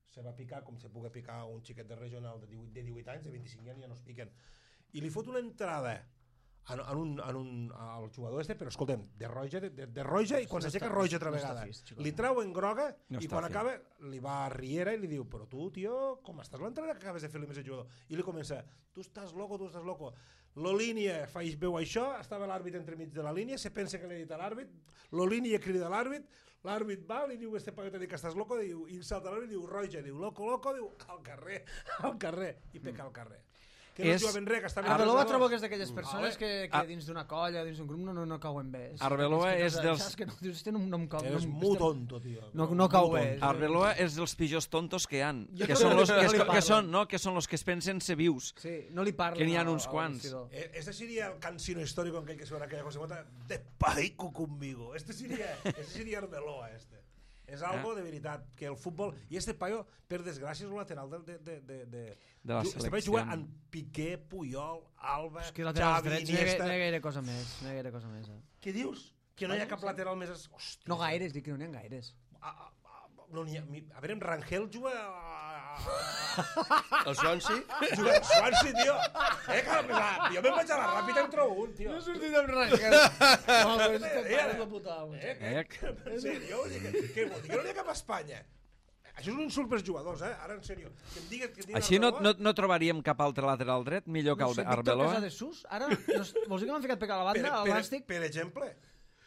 se va picar com se pugui picar un xiquet de regional de 18 anys, de 25 anys ja no es piquen. I li fot una entrada al jugador però escolta'm, de roja i quan s'aixeca roja altra vegada li treuen groga i quan acaba li va a Riera i li diu però tu, tio, com estàs l'entrada que acabes de fer-li més al jugador? I li comença, tu estàs loco, la línia veu això, estava l'àrbit entremig de la línia, se pensa que l'ha dit a l'àrbit, la línia crida a l'àrbit va, li diu este paquet que estàs loco, i salta l'àrbit i diu roja, diu loco, diu al carrer, i peca al carrer. Que no jugaven res, que estaven... Arbeloa trobo que és d'aquelles persones que dins d'una colla, dins d'un grup, no cauen bé. Arbeloa és dels... Saps que no em cau... És molt tonto, tio. No cau bé. Arbeloa és dels pitjors tontos que hi ha. Que són los que es pensen ser vius. Sí, no li parlen. Que n'hi ha uns quants. Este sería el cansino histórico en aquell que suena aquella cosa de paico conmigo. Este sería Arbeloa, este. És algo de veritat, que el futbol... I este paio, per desgràcia, és un lateral de la este paio juga en Piqué, Puyol, Alba, És que laterals Xavi, drets Iniesta... no hi ha gaire cosa més. No hi ha gaire cosa més. Què dius? Que no hi ha cap lateral més... Hòstia. No gaires, dic que no n'hi ha gaires. No n'hi ha... A veure, Rangel juga... El Swansea? Juga al Swansea, tio. Jo me'n vaig a la ràpida i em trobo un, tio. No he sortit amb Rangel. No, però és que pares de puta amo. En sèrio? Què vol dir? Que no n'hi ha cap a Espanya? Això és un insult pels jugadors, ara en sèrio. Que em digues Així no trobaríem cap altre lateral dret, millor que Víctor Arbeloa. Casadesús, ara, vols dir que m'han ficat pecat a la banda, al Nàstic?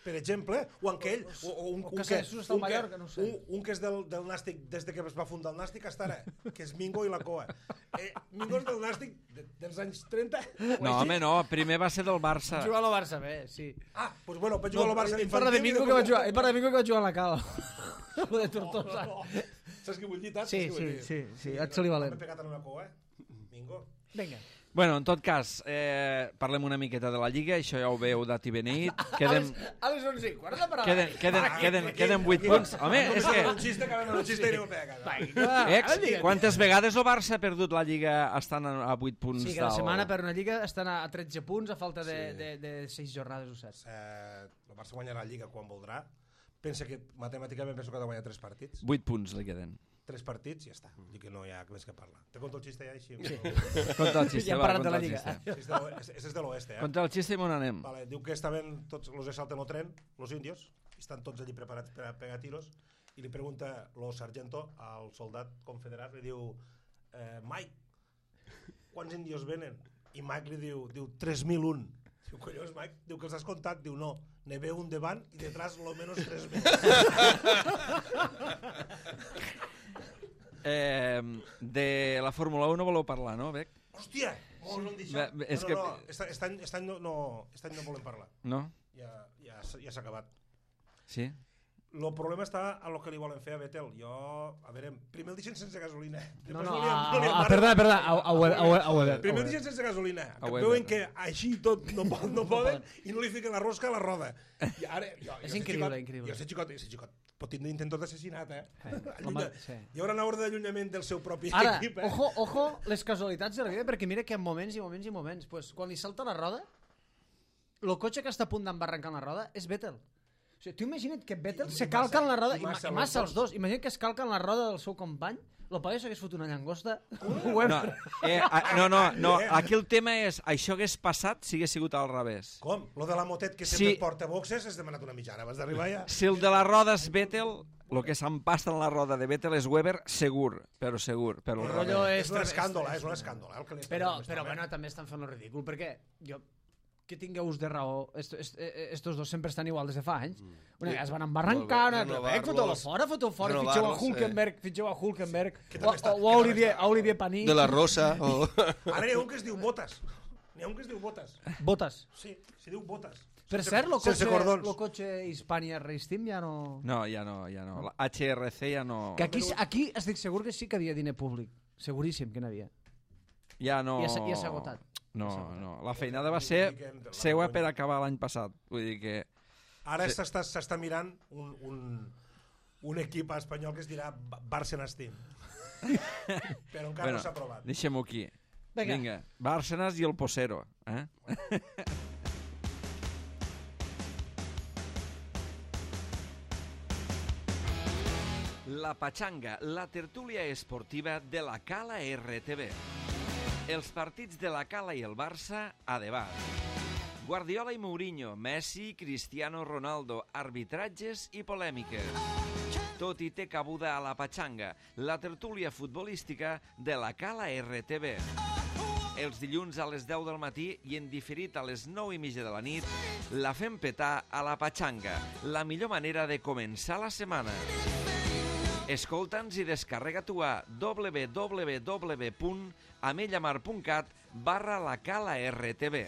Per exemple, o aquell, o un que Jesús està al Mallorca, no ho sé. Un que és del Nàstic des de que es va fundar el Nàstic hasta ara, que és Mingo i la Coa. Mingo és del Nàstic dels anys 30? No, home, no, primer va ser del Barça. Jugar al Barça, bé, sí. Doncs bueno, vaig jugar al Barça Ell parla de Mingo que va jugar a la Cala. O de Tortosa. Saps què vull dir, Tat? Sí, et se li valent. M'he pegat en una Coa, Mingo. Vinga. Bueno, en tot cas, parlem una miqueta de la Lliga, això ja ho veu dat i beneït. A les 11 i quart de parada. Queden 8 punts. Home, és que... Un xiste i no pega. Quantes vegades el Barça ha perdut la Lliga estant a 8 punts? Sí, que la setmana per una Lliga estan a 13 punts a falta de 6 jornades, ho saps. El Barça guanyarà la Lliga quan voldrà. Pensa que matemàticament penso que ha de guanyar 3 partits. 8 punts li queden. 3 partits i ja està. Dic que no hi ha més que parlar. Te conto el xiste ja així? Sí. Conta el xiste, Ja hem parlat de la Lliga. És de l'oest, Conta el xiste i on anem. Vale, diu que estaven tots los que salten el tren, los indios, i estan tots allí preparats per a pegar tiros, i li pregunta lo sargento al soldat confederat, li diu Mike, quants indios venen? I Mike li diu 3.001. Diu, collons, Mike? Diu que els has comptat? Diu, no, ne ve un davant i detrás lo menos 3.000. De la Fórmula 1 no voleu parlar, no, Bec? Hòstia! Molt no em deixa. No, aquest any no volem parlar. No? Ja s'ha acabat. Sí? El problema està a lo que li volen fer a Vettel. A veure, primer el deixen sense gasolina. Perdona, a Weber. Primer el deixen sense gasolina. Que veuen que així tot no poden i no li fiquen la rosca a la roda. És increïble. Jo sé xicot, pot tindre intentos d'assassinat, Hi haurà una ordre d'allunyament del seu propi equip. Ara, ojo, les casualitats de la vida, perquè mira que en moments, pues, quan li salta la roda, el cotxe que està a punt d'embarrancar la roda és Vettel. O sigui, tu imagina't que Vettel se calca en la roda, i massa els dos, imagina't que es calca en la roda del seu company, el paio s'hagués fotut una llangosta. No, aquí el tema és, això hagués passat si hagués sigut al revés. Com? Lo de la motet que sempre porta boxes has demanat una mitjana abans d'arribar ja? Si el de la roda és Vettel, el que s'empasta en la roda de Vettel és Weber, segur. El rotllo és un escàndol. Però bueno, també estan fent el ridícul, perquè jo... que tingueu de raó, estos dos sempre estan igual des de fa anys. Una vegada es van embarrancar, foteu fora, fitxeu a Hulkenberg, o a Olivier Panis. De la Rosa. Ara n'hi ha un que es diu Botas. Botas? Sí, se diu Botas. Per cert, el cotxe Hispania Race Team ja no... No, ja no. La HRC ja no... Que aquí estic segur que sí que havia diner públic. Seguríssim que n'havia. Ja no... Ja s'ha agotat. No. La feinada va ser seua per acabar l'any passat. Vull dir que... Ara s'està mirant un equip espanyol que es dirà Bárcenas Team. Però encara no s'ha aprovat. Deixem-ho aquí. Vinga, Bárcenas i el Posero. La Pachanga, la tertúlia esportiva de la Cala RTV. Els partits de la Cala i el Barça a debat. Guardiola i Mourinho, Messi, Cristiano Ronaldo, arbitratges i polèmiques. Tot hi té cabuda a la Pachanga, la tertúlia futbolística de la Cala RTV. Els dilluns a les 10 del matí i en diferit a les 9:30 de la nit, la fem petar a la Pachanga, la millor manera de començar la setmana. Escolta'ns i descarrega-t'ho a www.amellamar.cat/la Cala RTV.